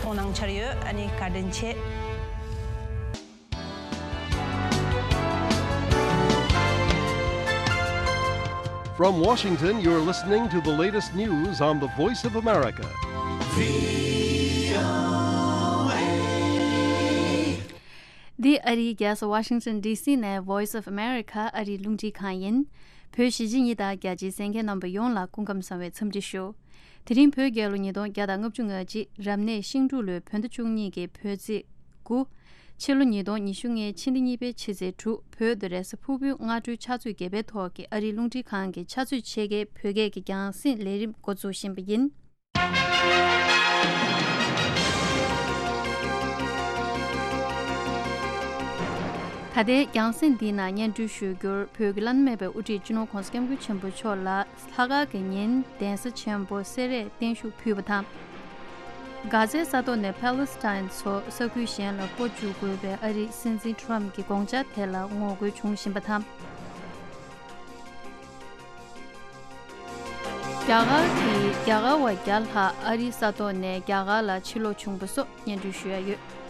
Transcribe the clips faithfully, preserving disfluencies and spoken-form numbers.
གཏོང་གནང་འཆར་ཡོད། ཨ་ནི་བཀའ་དྲིན་ཆེ། From Washington, you're listening to the latest news on the Voice of America. འདི་ཨ་རིའི་རྒྱལ་ས་ཝ་ཤིང་ཊོན་ཌི་སི་ནས་Voice of America ཨ་རིའི་རླུང་འཕྲིན་ཁང་ཡིན། བོད་གཞིས་བྱེས་གཉིས་དང་རྒྱ་ཆེའི་གསན་མཁན་རྣམ་པ་ཡོངས་ལ་སྐུ་ཁམས་བཟང་བའི་འཚམས་འདྲི་ཞུ། དེ་རིང་བོད་རྒྱལ་ལོ་ཉིས་སྟོང་བརྒྱ་དང་ལྔ་བཅུ་ང་གཅིག་རབ་གནས་ཤིང་འབྲུག་ལོའི་བོད་ཟླ་བཅུ་གཉིས་ཀྱི་བོད་ཚེས་དགུ། ཕྱི་ལོ་ཉིས་སྟོང་ཉི་ཤུ་ལྔའི་ཕྱི་ཟླ་གཉིས་པའི་ཕྱི་ཚེས་དྲུག་བོད་དུ་རེས་གཟའ་ཕུར་བུའི་སྔ་དྲོའི་ཕྱག་ཚོད་བརྒྱད་པའི་ཐོག་གི་ཨ་རིའི་རླུང་འཕྲིན་ཁང་གི་ཕྱག་ཚོད་ཕྱེད་ཀའི་བོད་སྐད་ཀྱི་རྒྱང་སྲིང་ལས་རིམ་འགོ་འཛུགས་བཞིན་པ་ཡིན། ད་ལྟའི་རྒྱང་སྲིང་འདིའི་ནང་སྙན་སྒྲོན་ཞུ་རྒྱུར། བོད་ཀྱི་བླ་ན་མེད་པའི་དབུ་ཁྲིད་སྤྱི་ནོར་༧གོང་ས་༧སྐྱབས་མགོན་ཆེན་པོ་མཆོག་ལ་ལྷག་དཀར་གྱི་ཉིན་གདན་ས་ཆེན་པོ་སེ་རས་བརྟན་བཞུགས་ཕུལ་བ་དང་། གྷ་ཛའི་ས་ཐོག་ནས་པ་ལི་སི་ཐན་ཚོ་ས་ཁུལ་གཞན་ལ་སྤོ་བཅུག་དགོས་པའི་ཨ་རིའི་སྲིད་འཛིན་ཊམ་གྱི་དགོངས་འཆར་དེ་ལ་ངོ་རྒོལ་བྱུང་བཞིན་པ་དང་། རྒྱ་གར་གྱི་རྒྱ་གར་བ་བརྒྱ་ལྷག་ཨ་རིའི་ས་ཐོག་ནས་རྒྱ་གར་ལ་ཕྱིར་ལོག་བྱུང་བ་སོགས་སྙན་སྒྲོན་ཞུ་ཡ་ཡོད།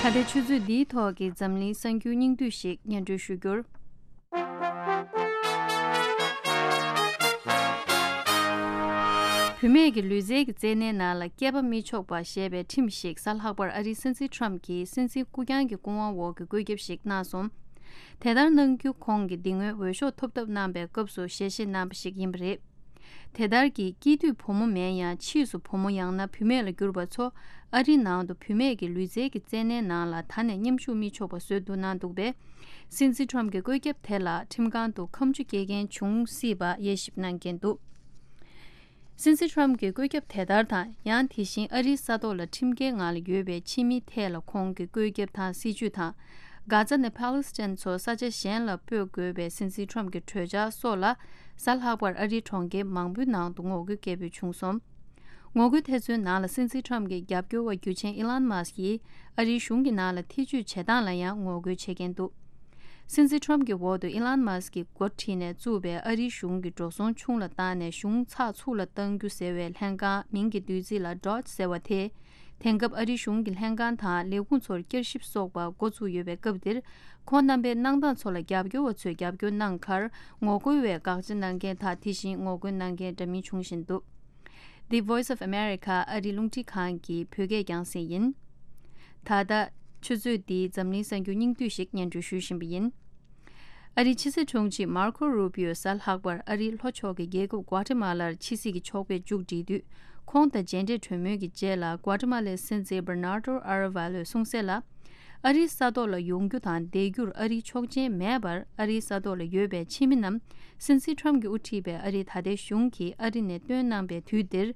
ད་ལྟའི་ཆུ་ཚོད་འདིའི་ཐོག་གི་འཛམ་གླིང་གསར་འགྱུར་སྙིང་བསྡུས་ཤིག་སྙན་སྒྲོན་ཞུ་རྒྱུར། བུད་མེད་ཀྱི་ལུས་རྩལ་གྱི་རྩེད་གནས་ནང་ལ་སྐྱེས་པ་མི་ཆོག་པ་ཞེས་པའི་ཁྲིམས་ཤིག་གཟའ་ལྷག་པར་ཨ་རིའི་སྲིད་འཛིན་ཊམ་གྱིས་སྲིད་འཛིན་སྐུ་རྐྱང་གི་སྐུ་དབང་འོག་གི་བཀོད་ཁྱབ་ཞིག་གནང་སོང་། དེ་ལྟར་གནང་རྒྱུ་ཁོང་གིས་འདི་སྔོན་འོས་ཤོག་ཐོབ་ཐབས་གནང་པའི་སྐབས་སུ་ཞལ་བཞེས་གནང་པ་ཞིག་ཡིན་པ་རེད། དེ་ལྟར་གྱི་སྐྱེས་དུས་བུ་མོ་མིན་ཡང་ཕྱིས་སུ་བུ་མོ་ཡང་ན་བུད་མེད་ལ་གྱུར་པ་ཚོ་ཨ་རིའི་ནང་དུ་བུད་མེད་ཀྱི་ལུས་རྩལ་གྱི་རྩེད་གནས་ནང་ལ་ད་ནས་མཉམ་ཞུགས་མི་ཆོག་པ་བཟོས་འདུག་གནང་འདུག་པས། སྲིད་འཛིན་ཊམ་གྱི་བཀོད་ཁྱབ་དེ་ལ་ཁྲིམས་ཁང་དུ་ཁ་མཆུ་སྐྱེལ་མཁན་བྱུང་སྲིད་པ་དབྱེ་ཞིབ་གནང་མཁན་འདུག་སྲིད་འཛིན་ཊམ་གྱི་བཀོད་ཁྱབ་དེ་ལྟར་དང་། ཡང་དེ་བཞིན་ཨ་རིའི་ས་ཐོག་ལ་ཁྲིམས་འགལ་ངང་ལ་ཡོད་པའི་ཕྱི་མིའི་ཐད་ལ་ཁོང་གི་བཀོད་ཁྱབ་དང་སྲིད་ཇུས་དང་། གྷ་ཛ་ནས་པ་ལི་སི་ཐན་ཚོ་ས་ཆ་གཞན་ལ་སྤོས་དགོས་པའི་སྲིད་འཛིན་ཊམ་གྱི་གྲོས་འཆར་སོགས་ལ་གཟའ་ལྷག་པར་ཨ་རིའི་གྲོང་ཁྱེར་མང་པོའི་ནང་དུ་ངོ་རྒོལ་སྐད་འབོད་བྱུང་སོང་། ངོ་རྒོལ་དེ་ཚོའི་ནང་ལ་སྲིད་འཛིན་ཊམ་གྱི་རྒྱབ་སྐྱོར་བ་རྒྱུ་ཆེན་ཨི་ལན་མཱ་སི་ཀྱིས་ཨ་རིའི་གཞུང་གི་ནང་ལ་ཐེ་ཇུས་བྱེད་སྟངས་ལ་ཡང་ངོ་རྒོལ་བྱེད་མཁན་འདུག་སྲིད་འཛིན་ཊམ་གྱི་འོག་ཏུ་ཨི་ལན་མཱ་སི་ཀྱིས་འགོ་ཁྲིད་ནས་བཙུགས་པའི་ཨ་རིའི་གཞུང་གི་འགྲོ་སོང་ཆུང་ལ་བཏང་ནས་གཞུང་ཚགས་ཚུད་ལ་གཏང་རྒྱུ་ཟེར་བའི་ལྷན་ཁང་མིང་གི་བསྡུས་ཚིག་ལ་ཌོཇ་ཟེར་བ་དེ། དེང་སྐབས་ཨ་རིའི་གཞུང་གི་ལྷན་ཁང་དང་ལས་ཁུངས་ཚོར་བསྐྱར་ཞིབ་སོགས་པ་འགོ་ཚུགས་ཡོད་པའི་སྐབས་འདིར། ཁོང་རྣམ་པའི་གནང་སྟངས་ཚོ་ལ་རྒྱབ་སྐྱོར་བ་ཚོས་རྒྱབ་སྐྱོར་གནང་ཁར་ངོ་རྒོལ་བས་དགག་བྱ་གནང་མཁན་དང་དེ་བཞིན་ངོ་རྒོལ་གནང་མཁན་འདྲ་མིན་བྱུང་བཞིན་འདུག The Voice of America ཨ་རིའི་རླུང་འཕྲིན་ཁང་གི་བོད་སྐད་རྒྱང་སྲིང་ཡིན། ད་ལྟ་ཆུ་ཚོད་འདིའི་འཛམ་གླིང་གསར་འགྱུར་སྙིང་བསྡུས་ཤིག་སྙན་སྒྲོན་ཞུ་བཞིན་པ་ཡིན། ཨ་རིའི་ཕྱི་སྲིད་དྲུང་ཆེ་མར་ཁོ་རུ་པིའོ་གཟའ་ལྷག་པར་ཨ་རིའི་ལྷོ་ཕྱོགས་ཀྱི་རྒྱལ་ཁབ་གོ་ཏི་མ་ལར་ཕྱི་སྲིད་ཀྱི་ཕྱོགས་ཕེབས་མཇུག་བསྒྲིལ་དུས། ཁོང་དང་མཇལ་འཕྲད་གྲོས་མོལ་གྱི་རྗེས་ལ་གོ་ཏི་མ་ལའི་སྲིད་འཛིན་བར་ནར་ཏོ་ཨ་ར་ཝ་ལོས་གསུངས་གསལ་ལ། ཨ་རིའི་ས་ཐོག་ལ་ཡོང་རྒྱུ་དང་བསྡད་རྒྱུར་ཨ་རིའི་ཆོག་མཆན་མེད་པར་ཨ་རིའི་ས་ཐོག་ལ་ཡོད་པའི་ཕྱི་མི་རྣམས་སྲིད་འཛིན་ཊམ་གྱིས་དབུ་ཁྲིད་པའི་ཨ་རིའི་ད་ལྟའི་གཞུང་གིས་ཨ་རི་ནས་བཏོན་གནང་པའི་དུས་འདིར།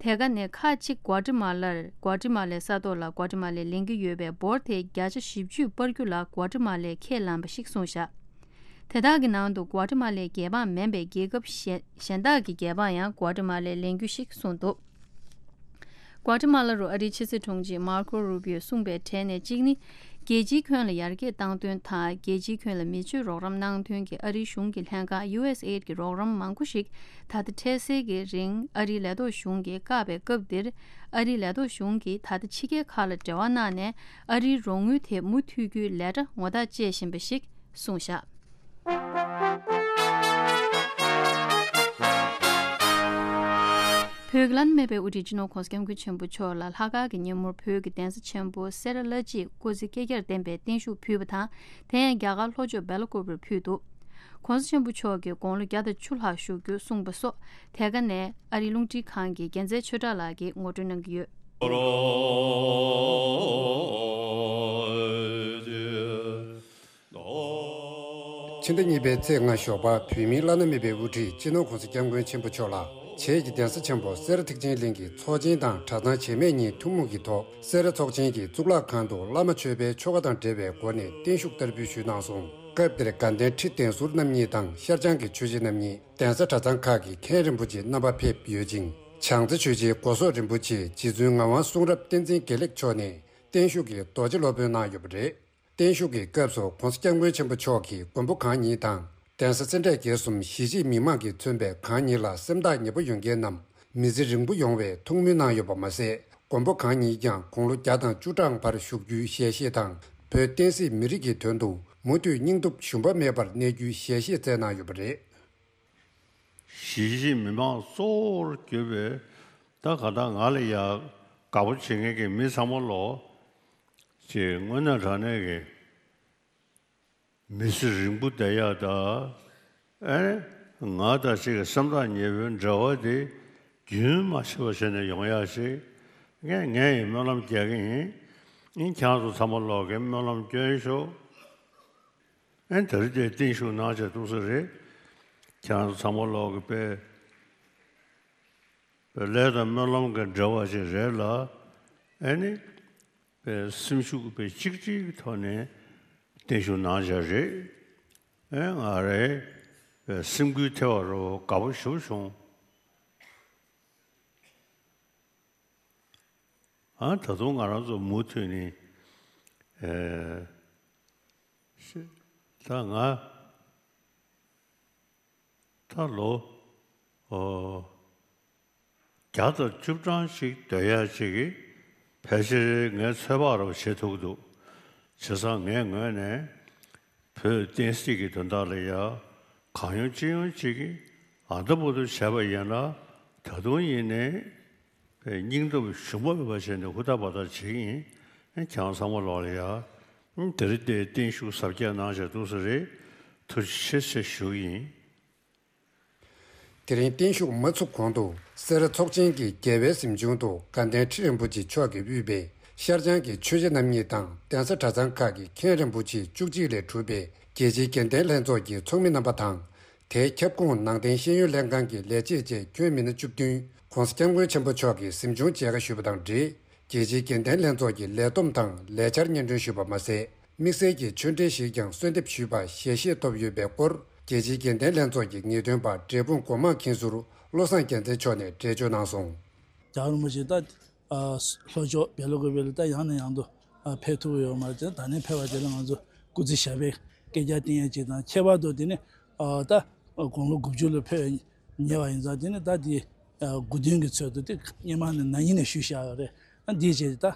དེ་ག་ནས་ཁག་ཅིག་གོ་ཏི་མ་ལར་གོ་ཏི་མ་ལའི་ས་ཐོག་ལ་གོ་ཏི་མ་ལས་ལེན་གྱི་ཡོད་པའི་འབོར་དེ་བརྒྱ་ཆ་བཞི་བཅུ་སྤར་རྒྱུ་ལ་གོ་ཏི་མ་ལས་ཁས་བླངས་པ་ཞིག་གསུངས་བཞག་དེ་དག་གི་ནང་དུ་གོ་ཏི་མ་ལའི་རྒྱལ་འབངས་མིན་པའི་རྒྱལ་ཁབ་གཞན་གཞན་དག་གི་རྒྱལ་འབངས་ཡང་གོ་ཏི་མ་ལས་ལེན་རྒྱུ་ཞིག་གསུངས་འདུག་གོ་ཏི་མ་ལ་རུ་ཨ་རིའི་ཕྱི་སྲིད་དྲུང་ཆེ་མར་ཁོ་རུ་པིའོ་གསུངས་པའི་གྲས་ནས་གཅིག་ནི། རྒྱལ་སྤྱིའི་ཁྱོན་ལ་ཡར་རྒྱས་བཏང་དོན་དང་རྒྱལ་སྤྱིའི་ཁྱོན་ལ་མི་སྤྱོད་རོགས་རམ་གནང་དོན་གྱི་ཨ་རིའི་གཞུང་གི་ལྷན་ཁང་ཡུ་ཨེས་ཨེ་ཌི་གི་རོགས་རམ་མང་པོ་ཞིག་ད་ལྟ་འཕྲལ་སེལ་གྱི་རིང་ཨ་རིའི་ལས་ཐོག་གཞུང་གིས་བཀག་པའི་སྐབས་འདིར། ཨ་རིའི་ལས་ཐོག་གཞུང་གིས་ད་ལྟ་ཕྱི་རྒྱལ་ཁག་ལ་འབྲེལ་བ་གནང་ནས་ཨ་རིའི་རོགས་དངུལ་དེ་མུ་མཐུད་རྒྱུའི་ལས་གྲྭ་ངོ་རྟགས་བཅད་བཞིན་པ་ཞིག་གསུངས་བཞག་བོད་ཀྱི་བླ་ན་མེད་པའི་དབུ་ཁྲིད་སྤྱི་ནོར་༧གོང་ས་༧སྐྱབས་མགོན་ཆེན་པོ་མཆོག་ལ་ལྷག་དཀར་གྱི་ཉིན་མོར་བོད་ཀྱི་གདན་ས་ཆེན་པོ་སེ་ར་བླ་སྤྱིས་སྐུ་ཚེ་བསྐལ་བརྒྱར་བརྟན་པའི་བརྟན་བཞུགས་ཕུལ་བ་དང་། དེ་ཡང་རྒྱ་གར་ལྷོ་ཕྱོགས་སྦེལ་ཀོབ་རུ་ཕུལ་འདུག ༸གོང་ས་ཆེན་པོ་མཆོག་གིས་དགུང་ལོ་བརྒྱ་དང་བཅུ་ལྷག་བཞུགས་རྒྱུ་གསུངས་པ་སོགས་དེ་ག་ནས་ཨ་རིའི་རླུང་འཕྲིན་ཁང་གི་རྒྱལ་མཚན་ཆོས་གྲགས་ལགས་ཀྱིས་ངོ་སྤྲོད་གནང་གི་ཡོད། ཕྱི་ཟླ་གཉིས་པའི་ཚེས་ལྔ་ཞོགས་པ་བོད་མིའི་བླ་ན་མེད་པའི་དབུ་ཁྲིད་སྤྱི་ནོར་༸གོང་ས་༸སྐྱབས་མགོན་ཆེན་པོ་མཆོག་ལ་ བྱེས་ཀྱི་གདན་ས་ཆེན་པོ་སེ་ར་ཐེག་ཆེན་གླིང་གི་ཚོགས་ཆེན་དང་གྲྭ་ཚང་བྱེས་སྨད་གཉིས་ཐུན་མོང་གི་ཐོག་སེ་ར་ཚོགས་ཆེན་གྱི་གཙུག་ལག་ཁང་དུ་བླ་མ་མཆོད་པའི་ཆོ་ག་དང་འབྲེལ་བའི་སྒོ་ནས་བརྟན་བཞུགས་བསྟར་འབུལ་ཞུས་གནང་སོང་། སྐབས་དེར་དགའ་ལྡན་ཁྲི་གདན་ཟུར་རྣམ་གཉིས་དང་ཤར་བྱང་གི་ཆོས་རྗེ་རྣམ་གཉིས། གདན་ས་གྲྭ་ཚང་ཁག་གི་མཁན་རིན་པོ་ཆེ་རྣམ་པ་ཕེབས་ཡོད་ཅིང་། བྱང་རྩེ་ཆོས་རྗེ་སྒོ་སོག་རིན་པོ་ཆེ་རྗེ་བཙུན་ངག་དབང་གསུང་རབ་བསྟན་འཛིན་དགེ་ལེགས་མཆོག་ནས་བརྟན་བཞུགས་ཀྱི་རྡོ་རྗེ་སློབ་དཔོན་གནང་ཡོད་པ་རེད། བརྟན་བཞུགས་ཀྱི་སྐབས་སུ་༸གོང་ས་༸སྐྱབས་མགོན་ཆེན་པོ་མཆོག་གིས་མགོན་པོ་གང་ཉིད་དང་། གདན་ས་སེ་འབྲས་དགེ་གསུམ་གཞིས་བྱེས་མི་མང་གིས་མཚོན་པའི་གང་ཉིད་ལ་སེམས་ཐག་ཉེ་པོ་ཡོད་མཁན་རྣམས་མི་ཚེ་རིང་པོ་ཡོང་བའི་ཐུགས་སྨོན་གནང་ཡོད་པ་མ་ཟད། མགོན་པོ་གང་ཉིད་ཀྱང་དགུང་ལོ་བརྒྱ་དང་བཅུ་གྲངས་བར་བཞུགས་རྒྱུའི་ཞལ་བཞེས་དང་། བོད་བསྟན་སྲིད་མི་རིགས་ཀྱི་དོན་དུ་མུ་མཐུད་སྙིང་སྟོབས་ཞུམ་པ་མེད་པར་གནས་རྒྱུའི་ཞལ་བཞེས་བསྩལ་གནང་ཡོད་པ་རེད། གཞིས་བྱེས་མི་མང་གཙོ་བོར་གྱུར་པའི་ད་ག་ད་ང་ལ་ཡ་དགའ་པོ་བྱེད་མཁན་གྱི་མི་ཚང་མ་ལོ་ཅིག་དངོས་གནས་དྲང་གནས་ཀྱི་མི་ཚེ་རིང་པོ་བསྡད་ཡག་ད། ཨེ་ང་དང་ཅིག་གི་སེམས་ཐག་ཉེ་པོའི་འབྲེལ་བ་དེ་རྒྱུན་མ་ཆད་པ་བྱས་ནས་ཡོང་ཡག་ཅིག་ངས་ངས་ཡི་སྨོན་ལམ་རྒྱག་གི་ཡིན། ཨིན་ཁྱེད་ཚོ་ཚང་མ་ལོག་གི་སྨོན་ལམ་སྐྱོན་ཤོག་ཨེ་དེ་རིང་དེ་བརྟན་བཞུགས་གནང་བྱས་འདུག་ས་རེད། ཁྱེད་ཚོ་ཚང་མ་ལོག་གི་དཔེ་དཔེ་ལས་དང་སྨོན་ལམ་གྱི་འབྲེལ་བ་ཞིག་རེད་ལ། ཨེ་ནི་དཔེ་སེམས་ཤུགས་དཔེ་གཅིག་སྒྲིལ་གྱི་ཐོག་ནས་བརྟན་བཞུགས་གནང་བྱས་རེད། ཨེ་ང་རེ་དཔེ་སེམས་འགུལ་ཐེབས་པ་རོ་དགའ་པོ་ཞེ་པོ་བྱུང་། ཨ་ད་དུང་ང་རང་ཚོ་མུ་མཐུད་ནས་ཨེ་ཤི་ད་ང་ད་ལོ་ཨོ་བརྒྱ་དང་བཅུ་གྲངས་ཤིག་སྡོད་ཡག་ཅིག་གི་ཕལ་ཆེར་ངས་ཚོད་དཔག་རོ་བྱེད་ཐུབ་འདུག་བྱས་ཙང་ངའི་ངོས་ནས། བོད་བསྟན་སྲིད་ཀྱི་དོན་དག་ལ་ཡ་གང་ཡོང་ཅི་ཡོང་ཅིག་གིས་ཨ་འདྲ་པོ་དུ་བྱས་པ་ཡིན་ན་ད་དུང་ཡིན་ནའི་སྙིང་སྟོབས་ཞུམ་པ་མེད་པ་བྱས་ནས་ཧུར་ཐག་འབད་ཐག་བྱེད་ཀྱི་ཡིན། ཁྱེད་ཚང་མ་ལོག་ལ་ཡ་དེ་རིང་དེ་བརྟན་བཞུགས་གཟབ་རྒྱས་གནང་བྱས་འདུག་ས་རེད། ཐུགས་རྗེ་ཆེ་ཟེར་ཞུ་གི་ཡིན། དེ་རིང་བརྟན་བཞུགས་མ་ཚུགས་གོང་དུ་སེ་ར་ཚོགས་ཆེན་གྱི་རྒྱལ་བའི་གཟིམ་ཆུང་དུ་དགའ་ལྡན་ཁྲི་རིན་པོ་ཆེ་མཆོག་གིས་དབུས་པའི་ཤར་བྱང་གི་ཆོས་རྗེ་རྣམ་གཉིས་དང་གདན་ས་གྲྭ་ཚང་ཁག་གི་མཁན་རིན་པོ་ཆེ་བཅུ་གཅིག་ལས་གྲུབ་པའི་རྒྱལ་སྤྱིའི་དགེ་ལྡན་ལྷན་ཚོགས་ཀྱི་ཚོགས་མི་རྣམ་པ་དང་། དེའི་ཁྱབ་ཁོངས་ནང་བསྟན་ཤེས་ཡོན་ལྷན་ཁང་གི་ལས་བྱེད་བཅས་ཁྱོན་མི་སྣ་བཅུ་བདུན་༸གོང་ས་༸སྐྱབས་མགོན་ཆེན་པོ་མཆོག་གིས་གཟིམ་ཆུང་མཇལ་ཁ་ཞུས་པ་དང་འབྲེལ། རྒྱལ་སྤྱིའི་དགེ་ལྡན་ལྷན་ཚོགས་ཀྱི་ལས་བསྡོམས་དང་ལས་འཆར་སྙན་སྒྲོན་ཞུས་པ་མ་ཟད། དམིགས་བསལ་གྱི་ཆོས་འབྲེལ་ཞིག་ཀྱང་གསོལ་འདེབས་ཞུས་པ་ཞལ་བཞེས་ཐོབ་ཡོད་པའི་སྐོར། རྒྱལ་སྤྱིའི་དགེ་ལྡན་ལྷན་ཚོགས་ཀྱི་ངེས་སྟོན་པ་འབྲས་སྤུངས་སྒོ་མང་མཁན་ཟུར་བློ་བཟང་རྒྱལ་མཚན་མཆོག་ནས་འགྲེལ་བརྗོད་གནང་སོང་། རྒྱལ་བ་རིན་པོ་ཆེ་ད་ལྷོ་ཕྱོགས་བལ་ཡུལ་གྱི་བལ་ད་ཡང་ནས་ཡང་དུ་ཕེབས་ཐུབ་ཡོད་མ་རེད། ད་ནས་ཕེབས་པ་དེ་ལ་ང་ཚོ་སྐུ་ཚེ་ཞབས་པད་བསྐལ་བརྒྱར་བརྟན་ཡས་ཅིག་དང་། ཁྱད་པར་དུ་དེ་ནས་ད་དགུང་ལོ་དགུ་བཅུ་ལ་ཕེབས་ཉེ་བ་ཡིན་ཙང་། དེ་ནས་ད་དེ་དགུ་སྟོན་གྱི་ཚོད་དུ་དེ་སྔོན་མ་ནས་ན་ནིང་ནས་ཞུས་བཞག་ཡོད་རེད། ཨ་འདིའི་རྗེས་ད་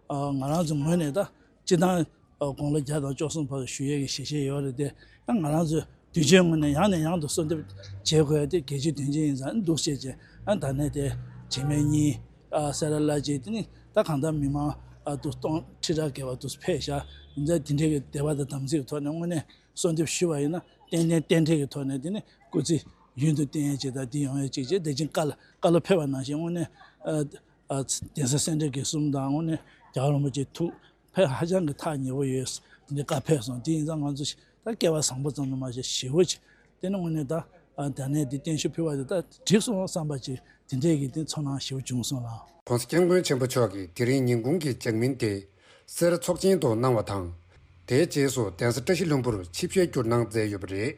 ང་རང་ཚོ་ངོས་ནས་ད་སྤྱི་བཏང་དགུང་ལོ་བརྒྱ་དང་བཅུ་གསུམ་བར་དུ་བཞུགས་ཡས་ཀྱི་ཞལ་བཞེས་ཡོད་རེད་དེ། ཨ་ང་རང་ཚོས་དུས་ཆེན་ངོས་ནས་ཡང་ནས་ཡང་དུ་གསོལ་འདེབས་བྱེད་དགོས་ཡ་དེ་གལ་ཆེའི་དོན་ཆེན་ཡིན་ཙང་འདུག་བྱས་རྗེས། ཨ་ད་ནས་དེ་བྱེས་སྨད་གཉིས་ཨ་སེ་ར་བླ་སྤྱི་དེ་ནི་ད་གང་ལྟར་མི་མང་ཨ་དུ་སྟོང་ཁྲི་ཕྲག་བརྒལ་བ་དུ་ཕེབས་ཤག་ཡིན་ཙང་དེ་འདྲའི་གི་དད་པ་དང་དམ་ཚིག་གི་ཐོག་ནས་དངོས་གནས་གསོལ་འདེབས་ཞུས་པ་ཡིན་ན་ཏན་ཏན་རྟེན་འབྲེལ་གྱི་ཐོག་ནས་དེ་ནི་སྐུ་ཚེ་ཡུན་དུ་བརྟན་ཡས་ཅིག་དང་། དེ་ཡོང་ཡས་ཅིག་བྱས། དེ་ཕྱིན་བཀའ་ལ་བཀའ་སློབ་ཕེབས་པ་ནང་བཞིན་དངོས་གནས་ཨ་ཨ་གདན་ས་སེ་འབྲས་དགེ་གསུམ་དང་། དངོས་གནས་རྒྱལ་བ་རིན་པོ་ཆེའི་ཐུགས་ཕན་ཧ་ཅང་གི་ཐག་ཉེ་པོ་ཡོད། དེ་འདྲའི་བཀའ་ཕེབས་སོང་། དེ་ཡིན་ཙང་ང་ཚོ་ད་སྐལ་བ་བཟང་པོ་ཙམ་དུ་མ་ཟད་ཞེ་པོ་ཅིག་དེ་ནི་དངོས་གནས་ད་ཨ་ད་ནས་འདི་བརྟན་བཞུགས་ཕུལ་བ་དེ་ད་འགྲིག་སོང་བསམ་པ་ཅིག་དེ་འདྲའི་གི་དེ་ཚོར་སྣང་ཞེ་པོ་བྱུང་སོང་ལགས། ༸གོང་ས་༸སྐྱབས་མགོན་ཆེན་པོ་མཆོག་གིས་དེ་རིང་ཉིན་གུང་གི་ལྗགས་སྨིན་དེ་སེ་ར་ཚོགས་ཆེན་དུ་གནང་བ་དང་། དེའི་རྗེས་སུ་གདན་ས་བཀྲ་ཤིས་ལྷུན་པོར་ཆིབས་ཞལ་བསྒྱུར་གནང་མཛད་ཡོད་པ་རེད།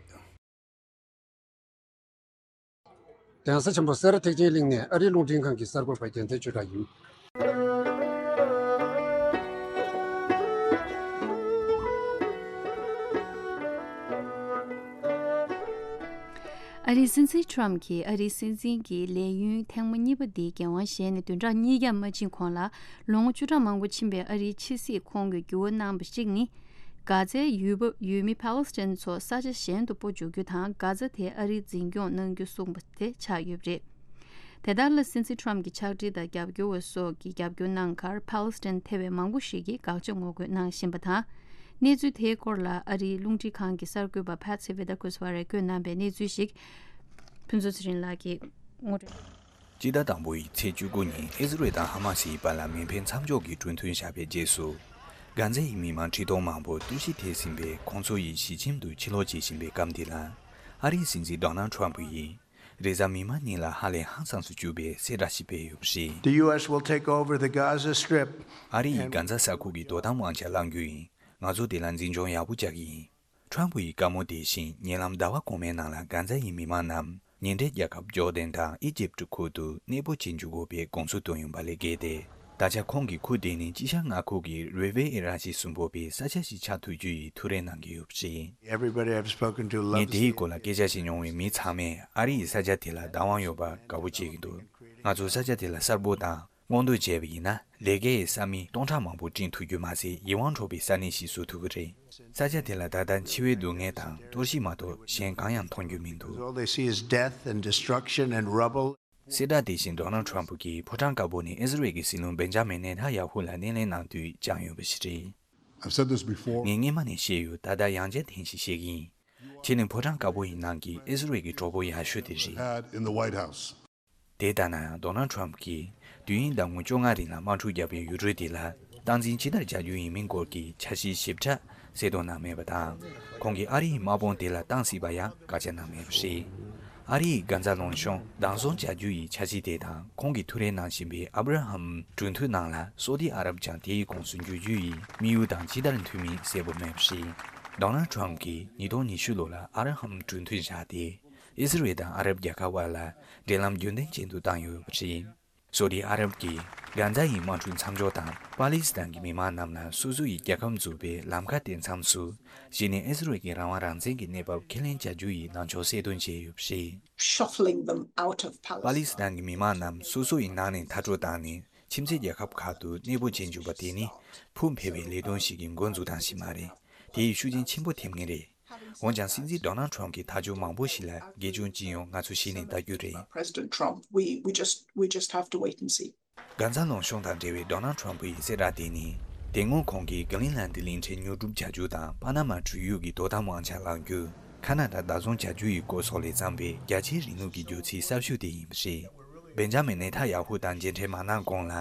གདན་ས་ཆེན་པོ་སེ་ར་ཐེག་ཆེན་གླིང་ནས་ཨ་རིའི་རླུང་འཕྲིན་ཁང་གི་གསར་འགོད་པ་རྒྱལ་མཚན་ཆོས་གྲགས་ཡིན། ཨ་རིའི་སྲིད་འཛིན་ཁྲོམ་གྱིས་ཨ་རིའི་སྲིད་འཛིན་གྱི་ལས་ཡུན་ཐེངས་མ་གཉིས་པ་འདིའི་འགན་དབང་བཞེས་ནས་བདུན་ཕྲག་གཉིས་ཀྱང་མ་ཕྱིན་གོང་ལ། ལོ་ངོ་བཅུ་ཕྲག་མང་པོ་ཕྱིན་པའི་ཨ་རིའི་ཕྱི་སྲིད་ཁོངས་ཀྱི་འགྱུར་བ་གནང་བ་གཅིག་ནི། གྷ་ཛའི་ཡུལ་བབ་ཡུལ་མི་ཕཱ་ལེ་སི་ཐན་ཚོ་ས་ཆ་གཞན་དུ་སྤོ་འཇུག་རྒྱུ་དང་། གྷ་ཛ་དེ་ཨ་རིས་འཛིན་སྐྱོང་གནང་རྒྱུ་གསུངས་པ་དེ་ཆགས་ཡོད་པ་རེད། དེ་ལྟར་ལ། སྲིད་འཛིན་ཁྲོམ་གྱི་ཕྱག་བྲིས་དང་རྒྱབ་སྐྱོར་བ་སོགས་ཀྱི་རྒྱབ་སྐྱོར་གནང་ཁར། ཕཱ་ལེ་སི་ཐན་ཐེ་བའི་མང་པོ་ཞིག་གིས་དགག་བྱ་ངོ་རྒོལ་གནང་བཞིན་པ་དང་། གནས་ཚུལ་དེའི་སྐོར་ལ་ཨ་རིའི་རླུང་འཕྲིན་ཁང་གི་གསར་འགོད་པ་Patsy Widakuswara བཀོད་གནང་པའི་གནས་ཚུལ་ཞིག་ཕུན་ཚོགས་ཚེ་རིང་ལགས་ཀྱིས་ངོ་སྤྲོད། སྤྱི་ཟླ་དང་པོའི་ཚེས་བཅུ་དགུ་ཉིན་ཨི་ཟི་རེལ་དང་ཧ་མ་སིའི་བར་ལ་མེ་འཕེན་མཚམས་འཇོག་གི་གྲོས་མཐུན་བཞག་པའི་རྗེས་སུ། གྷ་ཛ་ཡི་མི་མང་ཁྲི་སྟོང་མང་པོ་གཏོར་བཤིག་ཐེབས་ཟིན་པའི་ཁོང་ཚོ་ཡི་གཞིས་ཁྱིམ་དུ་ཕྱིར་ལོག་བྱེད་བཞིན་པའི་སྐབས་འདི་ལ། ཨ་རིའི་སྲིད་འཛིན་Donald Trump ཡིས། རེས་གཟའ་མིག་དམར་ཉིན་ལ་ཧ་ལས་ཧང་སངས་སུ་གྱུར་པའི་གསལ་བསྒྲགས་ཤིག་སྤེལ་ཡོད་པ་རེད། The U S will take over the Gaza Strip. ཨ་རི་ཡིས་གྷན་ཛ་ས་ཁུལ་གྱི་དོ་དམ་དབང་ཆ་བླང་རྒྱུ་ཡིན། ང་ཚོ་དེ་ལ་འཛིན་སྐྱོང་ཡག་པོ་རྒྱག་གི་ཡིན། ཁྲོམ་ཕུ་ཡི་བཀའ་མོལ་དེ་བཞིན་ཉེ་ལམ་ཟླ་བ་གོང་མའི་ནང་ལ་གྷན་ཛ་ཡི་མི་མང་རྣམས་ཉེ་འབྲེལ་རྒྱལ་ཁབ་ཇོར་ཌན་དང་ཨི་ཇིབ་ཁུལ་དུ་གནས་སྤོ་བྱེད་འཇུག་དགོས་པའི་དགོངས་ཚུལ་བཏོན་ཡོད་པ་ལས་བརྒལ་ཏེ། ད་ཆ་ཁོང་གིས་ཁུལ་དེ་ནི་དཀྱིལ་ཤར་མངའ་ཁུལ་གྱི་རི་ཝེ་ཨེ་ར་ཤི་སུམ་པོ་པའི་ས་ཆ་ཞིག་ཆགས་ཐུབ་རྒྱུ་ཡི་ཐུགས་རེ་གནང་གི་ཡོད་པ་རེད། Everybody I've spoken to ངས་loves དེའི་the སྐོར་ལ་སྐད་ཆ་བཤད་མྱོང་བའི་མི་ཚང་མས་ཨ་རི་ཡིས་ས་ཆ་དེ་ལ་བདག་དབང་ཡོད་པར་དགའ་པོ་བྱེད་ཀྱི་འདུག་ང་ཚོས་ས་ཆ་དེ་ལ་གསར་སྦོལ་དང་སྔོག་འདོན་བྱས་པ་ཡིན་ན་ལས་ཀའི་ས་མིག་སྟོང་ཕྲག་མང་པོ་བསྐྲུན་ཐུབ་རྒྱུ་མ་ཟད་ཡིད་དབང་འཕྲོག་པའི་ས་གནས་ཤིག་བཟོ་ཐུབ་ཀྱི་རེད། ས་ཆ་དེ་ལ་ད་ལྟ་འཆི་བའི་སྡུག་བསྔལ་དང་གཏོར་བཤིག་མ་གཏོགས་གཞན་གང་ཡང་མཐོང་རྒྱུ་མི་འདུག All they see is death and destruction and rubble. གསལ་བསྒྲགས་དེ་བཞིན་ཌོ་ནལ་ཊམ་ཕུ་གིས་ཕོ་བྲང་དཀར་པོ་ནས་ཨི་ཟི་རལ་གྱི་སྲིད་བློན་བེན་ཇ་མིན་ནེ་ཐན་ཡ་ཧུ་ལ་སྣེ་ལེན་གནང་དུས་བཅངས་ཡོད་པ་ཞིག་རེད། I've said this before. ངས་སྔོན་མ་ནས་བཤད་ཡོད། ད་ལྟ་ཡང་བསྐྱར་ཐེངས་ཤིག་བཤད་ཀྱི་ཡིན། ཁྱེད་ནི་ཕོ་བྲང་དཀར་པོ་ཡི་ནང་གི་ཨི་ཟི་རལ་གྱི་གྲོགས་པོ་ཡག་ཤོས་དེ་རེད། Had in the White House. དེ་ལྟ་ན་ཡང་ཌོ་ནལ་ཊམ་ཕུ་གིས་དུས་ཡུན་ཟླ་ངོ་བཅོ་ལྔ་རིང་ལ་དམག་འཁྲུག་བརྒྱབ་པའི་ཡུལ་གྲུ་དེ་ལ་སྟངས་འཛིན་ཇི་ལྟར་བྱ་རྒྱུ་ཡིན་མིན་སྐོར་གྱི་འཆར་གཞི་ཞིབ་ཕྲ་གསལ་སྟོན་གནང་མེད་པ་དང་། ཁོང་གིས་ཨ་རི་ཡི་དམག་དཔུང་དེ་ལ་གཏང་སྲིད་པ་ཡང་བཀའ་རྒྱ་གནང་མེད་པ་རེད། ཨ་རི་ཡིས་གྷན་ཛ་ལུང་གཤོང་བདག་བཟུང་བྱ་རྒྱུ་ཡི་འཆར་གཞི་དེ་དང་ཁོང་གིས་ཐུགས་རེ་གནང་བཞིན་པའི་ཨབ་ར་ཧམ་གྲོས་མཐུན་ནང་ལ་སོ་ཏི་ཨ་རབ་ཀྱང་དེའི་ཁོངས་སུ་འཇུག་རྒྱུ་ཡི་དམིགས་ཡུལ་དང་ཇི་ལྟར་མཐུན་མིན་གསལ་པོ་མེད་པ་རེད། ཌོ་ནལ་ཊམ་ཕུ་གིས་ཉིས་སྟོང་ཉི་ཤུ་ལོ་ལ་ཨབ་ར་ཧམ་གྲོས་མཐུན་བཞག་སྟེ། ཨི་ཟི་རལ་དང་ཨ་རབ་རྒྱལ་ཁབ་བར་ལ་འབྲེལ་ལམ་རྒྱུན་ལྡན་ཅན་དུ་བཏང་ཡོད་པ་རེད། སོ་ཏི་ཨ་རབ་ཀྱིས་གྷན་ཛ་ཡི་དམག་འཁྲུག་མཚམས་འཇོག་དང་པ་ལི་སི་ཐན་གྱི་མི་མང་རྣམས་ལ་སོ་སོ་ཡི་རྒྱལ་ཁབ་འཛུགས་པའི་ལམ་ཁ་སྟོན་མཚམས་སུ། གཞི་ནས་ཨི་ཟི་རལ་གྱི་རང་དབང་རང་བཙན་གྱི་གནས་བབ་ཁས་ལེན་བྱ་རྒྱུ་ཡི་ལངས་ཕྱོགས་གསལ་སྟོན་བྱས་ཡོད་པ་རེད། Shuffling them out of པ་ལི་Palestine. སི་ཐན་གྱི་མི་མང་རྣམས་སོ་སོ་ཡི་ནང་ནས་མཐར་སྐྲོད་བཏང་ནས་ཁྱིམ་མཚེས་རྒྱལ་ཁབ་ཁག་ཏུ་གནས་སྤོ་བྱེད་འཇུག་པ་དེ་ནི་ཕུགས་འཕེར་བའི་ལས་དོན་ཞིག་གི་འགོ་འཛུགས་སྟངས་ཤིག་མ་རེད། དེ་ཡི་ཤུགས་རྐྱེན་ཆེན་པོ་ཐེབས་ངེས་རེད། འོན་ཀྱང་སྲིད་འཛིན་ཌོ་ནལ་ཊམ་ཕུ་གི་ཐག་གཅོད་མང་པོ་ཞིག་ལ་དགེ་སྐྱོན་ཅི་ཡོང་ང་ཚོ་གཞི་ནས་ལྟ་རྒྱུ་རེད། President Trump, we, we just, we just have to wait and see. གྷན་ཛ་ལུང་གཤོང་དང་འབྲེལ་བའི་ཌོ་ནལ་ཊམ་ཕུ་ཡི་གསལ་བསྒྲགས་དེ་ནི། དེ་སྔོན་ཁོང་གིས་གྷི་རིན་ལན་ཌི་གླིང་ཕྲན་ཉོ་སྒྲུབ་བྱ་རྒྱུ་དང་པ་ན་མ་གྲུ་གཡུག་གི་དོ་དམ་དབང་ཆ་བླང་རྒྱུ། ཁ་ན་ཌ་བདག་བཟུང་བྱ་རྒྱུ་ཡི་སྐོར་སོགས་ལས་བརྩམས་པའི་རྒྱ་ཆེའི་རིང་ལུགས་ཀྱི་རྒྱུགས་ཚིག་གསར་ཤོས་དེ་ཡིན་པ་རེད། བེན་ཇ་མིན་ནེ་ཐན་ཡ་ཧུ་དང་མཇལ་འཕྲད་མ་གནང་གོང་ལ།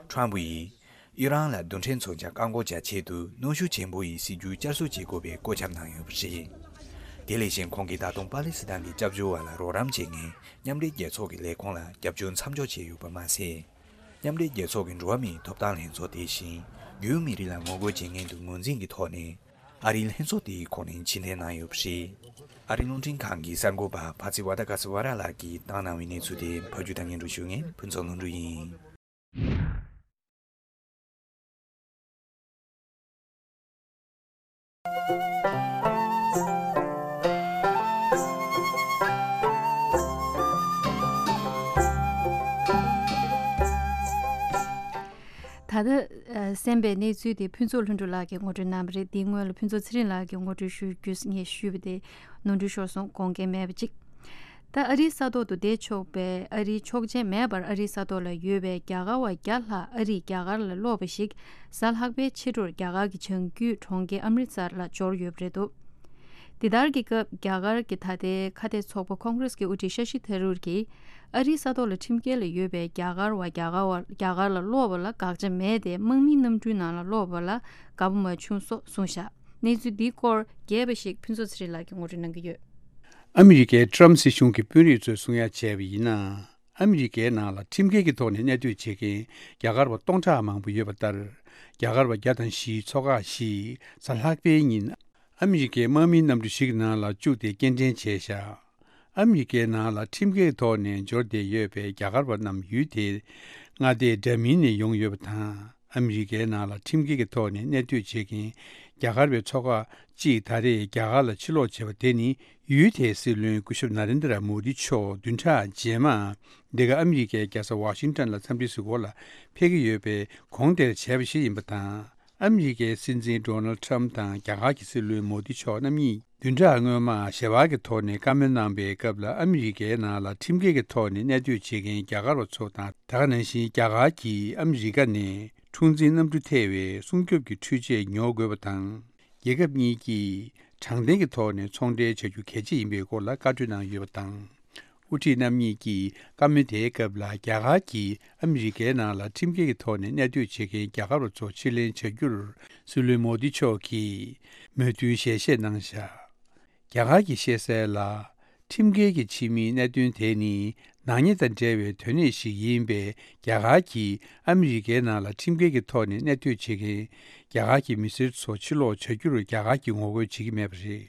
ཊམ་ཕུ་ཡིས། ཨི་རན་ལ་རྡུལ་ཕྲན་མཚོན་ཆ་བཀག་འགོག་བྱ་ཆེད་དུ་གནོན་ཤུགས་ཆེན་པོ་ཡི་སྲིད་ཇུས་བསྐྱར་གསོ་བྱེད་དགོས་པའི་བཀོད་ཁྱབ་གནང་ཡོད་པ་རེད། དེ་ལས་གཞན་ཁོང་གིས་ད་དུང་པ་ལི་སི་ཐན་གྱི་སྐྱབས་བཅོལ་བ་ལ་རོགས་རམ་བྱེད་མཁན་མཉམ་འབྲེལ་རྒྱལ་ཚོགས་ཀྱི་ལས་ཁུངས་ལ་རྒྱབ་སྐྱོར་མཚམས་འཇོག་བྱས་ཡོད་པ་མ་ཟད། མཉམ་འབྲེལ་རྒྱལ་ཚོགས་ཀྱི་འགྲོ་བ་མིའི་ཐོབ་ཐང་ལྷན་ཚོགས་དེ་བཞིན་རྒྱུན་མི་རིགས་ལ་ངོ་རྒོལ་བྱེད་མཁན་དུ་ངོས་འཛིན་གྱི་ཐོག་ནས་ཨ་རིའི་ལྷན་ཚོགས་དེའི་ཁོངས་ནས་ཕྱིར་འཐེན་གནང་ཡོད་པ་རེད། ཨ་རིའི་རླུང་འཕྲིན་ཁང་གི་གསར་འགོད་པ་ཕ་ཚི་ཝ་ཏ་ཀ་སི་ཝ་ར་ལགས་ཀྱིས་བཏང་གནང་བའི་གནས་ཚུལ་དེ་ཕབ་སྒྱུར་དང་སྙན་སྒྲོན་ཞུ་མཁན་ཕུན་ཚོགས་ལྷུན་གྲུབ་ཡིན། ད་ལྟ་ཨ་གསན་པའི་གནས་ཚུལ་དེ་ཕུན་ཚོགས་ལྷུན་གྲུབ་ལགས་ཀྱིས་ངོ་སྤྲོད་གནང་བ་རེད། དེའི་སྔོན་ལ་ཕུན་ཚོགས་ཚེ་རིང་ལགས་ཀྱིས་ངོ་སྤྲོད་ཞུ་རྒྱུ་ངས་ཞུས་པ་དེ་ནོར་འཁྲུལ་ཤོར་སོང་། དགོངས་འགལ་མེད་པ་ཅིག་ད་ཨ་རིའི་ས་ཐོག་ཏུ་བསྡད་ཆོག་པའི་ཨ་རིའི་ཆོག་མཆན་མེད་པར་ཨ་རིའི་ས་ཐོག་ལ་ཡོད་པའི་རྒྱ་གར་བ་བརྒྱ་ལྷག་ཨ་རིས་རྒྱ་གར་ལ་སློག་པ་ཞིག་གཟའ་ལྷག་པའི་ཕྱི་དྲོར་རྒྱ་གར་གྱི་བྱང་རྒྱུད་གྲོང་ཁྱེར་ཨམ་རི་ཙར་ལ་འབྱོར་ཡོད་པ་རེད་འདུག་འདི་ལྟར་གྱི་སྐབས་རྒྱ་གར་གྱི་ད་ལྟའི་ཁ་གཏད་ཚོགས་པ་ཁོང་གྷ་རེས་ཀྱི་དབུ་ཁྲིད་ཤ་ཤི་ཐ་རུར་གྱིས་ཨ་རིའི་ས་ཐོག་ལ་ཁྲིམས་འགལ་ལ་ཡོད་པའི་རྒྱ་གར་བ་རྒྱ་གར་བ་རྒྱ་གར་ལ་སློག་པ་ལ་དགག་བྱ་མེད་དེ་དམག་མིའི་གནམ་གྲུའི་ནང་ལ་སློག་པ་ལ་དགའ་པོ་མ་བྱུང་སོགས་གསུངས་བཞག་གནས་ཚུལ་འདིའི་སྐོར་རྒྱས་པ་ཞིག་ཕུན་ཚོགས་ཚེ་རིང་ལགས་ཀྱིས་ངོ་སྤྲོད་གནང་གི་ཡོད། ཨ་མི་རི་ཀའི་ཊྲམ་སྲིད་གཞུང་གི་དཔོན་རིགས་ཚོས་གསུང་ཡ་བྱས་པ་ཡིན་ན། ཨ་མི་རི་ཀའི་ནང་ལ་ཁྲིམས་འགལ་གྱི་ཐོག་ནས་གནས་སྡོད་བྱེད་མཁན་རྒྱ་གར་བ་སྟོང་ཕྲག་མང་པོ་ཡོད་པ་ལྟར། རྒྱ་གར་བ་བརྒྱ་དང་བཞིའི་ཚོགས་ཁག་ཞིག་གཟའ་ལྷག་པའི་ཉིན་ཨ་མི་རི་ཀའི་དམག་མིའི་གནམ་གྲུ་ཞིག་གི་ནང་ལ་བཅུག་སྟེ་སྐྱེལ་འདྲེན་བྱས་བཞག་ཨ་མི་རི་ཀའི་ནང་ལ་ཁྲིམས་འགལ་གྱི་ཐོག་ནས་འབྱོར་བསྡད་ཡོད་པའི་རྒྱ་གར་བ་རྣམས་ཡུལ་དེའི་མངའ་སྡེ་འདྲ་མིན་ནས་ཡོང་ཡོད་པ་དང་། ཨ་མི་རི་ཀའི་ནང་ལ་ཁྲིམས་འགལ་གྱི་ཐོག་ནས་གནས་སྡོད་བྱེད་མཁན་རྒྱ་གར་བའི་ཚོགས་ཁག་ཅིག་ད་རེས་རྒྱ་གར་ལ་ཕྱིར་ལོག་བྱས་པ་དེ་ནི་ཡུལ་དེའི་སྲིད་བློན་སྐུ་ཞབས་ན་རེན་དྲ་མོ་དི་མཆོག་བདུན་ཕྲག་རྗེས་མ་འདི་ག་ཨ་མི་རི་ཀའི་རྒྱལ་ས་ཝ་ཤིང་ཊོན་ལ་འཚམས་འདྲི་ཞུ་སྒོ་ལ་ཕེབས་ཀྱི་ཡོད་པའི་གོང་དེར་བྱས་པ་ཞིག་ཡིན་པ་དང་། ཨ་མི་རི་ཀའི་སྲིད་འཛིན་ཌོ་ནལ་ཊྲམ་དང་རྒྱ་གར་གྱི་སྲིད་བློན་མོ་དི་མཆོག་རྣམ་གཉིས་བདུན་ཕྲག་སྔོན་མ་ཞལ་པར་གྱི་ཐོག་ནས་བཀའ་མོལ་གནང་པའི་སྐབས་ལ་ཨ་མི་རི་ཀའི་ནང་ལ་ཁྲིམས་འགལ་གྱི་ཐོག་ནས་གནས་སྡོད་བྱེད་མཁན་རྒྱ་གར་བ་ཚོ་དང་། ད་ག་ནང་བཞིན་རྒྱ་གར་གྱིས་ཨ་མི་རི་ཀ་ནས་འཁྲུག་འཛིང་གནམ་གྲུ་ཐེ་བའི་སྲུང་སྐྱོབ་ཀྱི་འཕྲུལ་ཆས་ཉོ་དགོས་པ་དང་། རྒྱལ་ཁབ་གཉིས་ཀྱིས་དྲང་བདེན་གྱི་ཐོག་ནས་ཚོང་འབྲེལ་བྱ་རྒྱུ་གལ་ཆེ་ཡིན་པའི་སྐོར་ལ་བཀའ་གྲོས་གནང་ཡོད་པ་དང་། དབུ་ཁྲིད་རྣམ་གཉིས་ཀྱིས་བཀའ་མོལ་དེའི་སྐབས་ལ་རྒྱ་གར་གྱིས་ཨ་མི་རི་ཀའི་ནང་ལ་ཁྲིམས་འགལ་གྱི་ཐོག་ནས་གནས་སྡོད་བྱེད་མཁན་རྒྱ་གར་བ་ཚོ་ཕྱིར་ལེན་བྱ་རྒྱུར་སྲིད་བློན་མོ་དི་མཆོག་གིས་མོས་མཐུན་ཞལ་བཞེས་གནང་བཞག་རྒྱ་གར་གྱིས་བཤད་གསལ་ལ། ཁྲིམས་འགལ་གྱི་ཕྱི་མིའི་གནད་དོན་དེ་ནི་ནག་ཉེས་དང་འབྲེལ་བའི་དོན་གནད་ཞིག་ཡིན་པས། རྒྱ་གར་གྱིས་ཨ་མི་རི་ཀའི་ནང་ལ་ཁྲིམས་འགལ་གྱི་ཐོག་ནས་གནས་སྡོད་བྱེད་མཁན་རྒྱ་གར་གྱི་མི་སེར་ཚོ་ཕྱིར་ལོག་བྱ་རྒྱུར་རྒྱ་གར་གྱིས་ངོ་རྒོལ་བྱེད་ཀྱི་མེད་པ་རེད།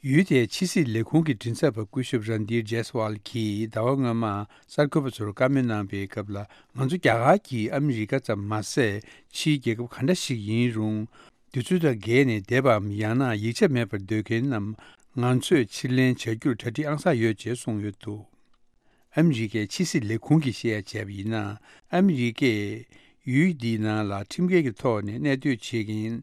ཡུལ་དེའི་ཕྱི་སྲིད་ལས་ཁུངས་ཀྱི་མགྲིན་ཚབ་པ་སྐུ་ཞབས་རན་དྷིར་ཇེ་སི་ཝལ་གྱིས་ཟླ་བ་སྔོན་མ་གསར་འགོད་པ་ཚོར་བཀའ་མོལ་གནང་པའི་སྐབས་ལ། ང་ཚོ་རྒྱ་གར་གྱིས་ཨ་མི་རི་ཀ་ཙམ་མ་ཟད། ཕྱིའི་རྒྱལ་ཁབ་ག་འདྲ་ཞིག་ཡིན་རུང་། དུས་ཚོད་དང་འགལ་ནས་བསྡད་པའམ་ཡང་ན་ཡིག་ཆ་མེད་པར་སྡོད་མཁན་རྣམས་ང་ཚོས་ཕྱིར་ལེན་བྱ་རྒྱུར་གྲ་སྒྲིག་ཨང་གསར་ཡོད་ཅེས་གསུངས་ཡོད་འདུག་ཨ་མི་རི་ཀའི་ཕྱི་སྲིད་ལས་ཁུངས་ཀྱིས་བཤད་ཡ་བྱས་པ་ཡིན་ན། ཨ་མི་རི་ཀས་ཡུལ་འདིའི་ནང་ལ་ཁྲིམས་འགལ་གྱི་ཐོག་ནས་གནས་སྡོད་བྱེད་མཁན་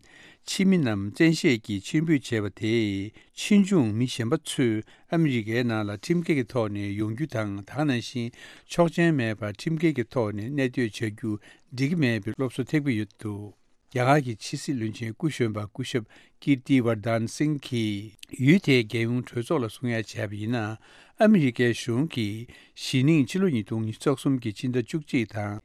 ཕྱི་མི་རྣམས་བཙན་ཤེད་ཀྱིས་ཕྱིར་འབུད་བྱས་པ་དེས། ཕྱིས་འབྱུང་མི་གཞན་པ་ཚོས་ཨ་མི་རི་ཀའི་ནང་ལ་ཁྲིམས་འགལ་གྱི་ཐོག་ནས་ཡོང་རྒྱུ་དང་། དེ་ནང་བཞིན་ཆོག་མཆན་མེད་པར་ཁྲིམས་འགལ་གྱི་ཐོག་ནས་གནས་སྡོད་བྱ་རྒྱུ་འགྲིག་གི་མེད་པའི་སློབ་གསོ་ཐེབས་ཀྱི་ཡོད་འདུག་རྒྱ་གར་གྱི་ཕྱི་སྲིད་བློན་ཆེན་སྐུ་གཞོན་པ་སྐུ་ཞབས་ཀིརྟི་ཝར་དན་སིང་གིས་ཡུལ་དེའི་རྒྱལ་ཡོངས་གྲོས་ཚོགས་ལ་གསུང་ཡ་བྱས་པ་ཡིན་ན། ཨ་མི་རི་ཀའི་གཞུང་གིས་གཞེས་ནིང་ཕྱི་ལོ་ཉིས་སྟོང་ཉི་ཤུ་རྩ་གསུམ་གྱི་ཕྱི་ཟླ་བཅུ་གཅིག་དང་།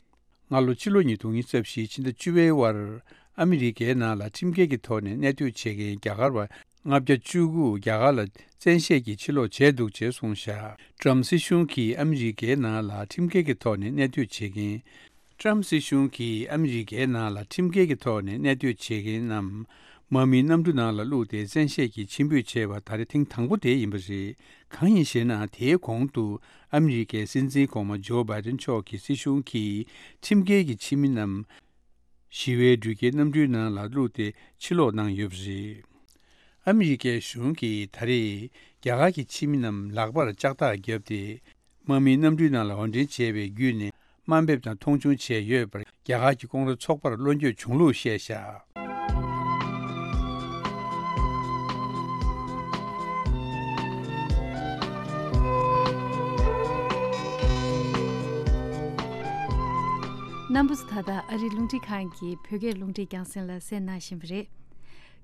སྔ་ལོ་ཕྱི་ལོ་ཉིས་སྟོང་ཉི་ཤུ་རྩ་བཞིའི་ཕྱི་ཟླ་བཅུ་པའི་བར། ཨ་མི་རི་ཀའི་ནང་ལ་ཁྲིམས་འགལ་གྱི་ཐོག་ནས་གནས་སྡོད་བྱེད་མཁན་རྒྱ་གར་བ་ལྔ་བརྒྱ་བཅུ་དགུ་རྒྱ་གར་ལ་བཙན་ཤེད་ཀྱིས་ཕྱིར་ལོག་བྱས་འདུག་ཅེས་གསུངས་བཞག་ཊྲམ་སྲིད་གཞུང་གིས་ཨ་མི་རི་ཀའི་ནང་ལ་ཁྲིམས་འགལ་གྱི་ཐོག་ནས་གནས་སྡོད་བྱེད་མཁན། ཊྲམ་སྲིད་གཞུང་གིས་ཨ་མི་རི་ཀའི་ནང་ལ་ཁྲིམས་འགལ་གྱི་ཐོག་ནས་གནས་སྡོད་བྱེད་མཁན་རྣམས། དམག་མིའི་གནམ་གྲུ་ནང་ལ་བླུགས་ཏེ་བཙན་ཤེད་ཀྱིས་ཕྱིར་འབུད་བྱས་པ་ད་རེས་ཐེངས་དང་པོ་དེ་ཡིན་པ་རེད། གང་ཡིན་ཞེ་ན། དེའི་གོང་དུ་ཨ་མི་རི་ཀའི་སྲིད་འཛིན་གོང་མ་ཇོ་བྷའི་ཏིན་མཆོག་གི་སྲིད་གཞུང་གིས་ཁྲིམས་འགལ་གྱི་ཕྱི་མི་རྣམས་ཞི་བའི་འགྲུལ་སྐྱེལ་གནམ་གྲུའི་ནང་ལ་བླུགས་ཏེ་ཕྱིར་སློག་གནང་ཡོད་པ་རེད། ཨ་མི་རི་ཀའི་གཞུང་གིས་ད་རེས་རྒྱ་གར་གྱི་ཕྱི་མི་རྣམས་ལག་པར་ལྕགས་ཐག་བརྒྱབ་སྟེ། དམག་མིའི་གནམ་གྲུའི་ནང་ལ་འོར་འདྲེན་བྱས་པའི་བརྒྱུད་ནས་དམའ་འབེབས་དང་མཐོང་ཆུང་བྱས་ཡོད་པར་རྒྱ་གར་གྱི་ཀོང་རོ་ཚོགས་པར་བློ་འགྱོད་བྱུང་ལུགས་བཤད་བཞག་རྣམ་པ་ཚོ་ད་ལྟ་ཨ་རིའི་རླུང་འཕྲིན་ཁང་གི་བོད་སྐད་རླུང་འཕྲིན་རྒྱང་སྲིང་ལ་གསན་གནང་བཞིན་པ་རེད།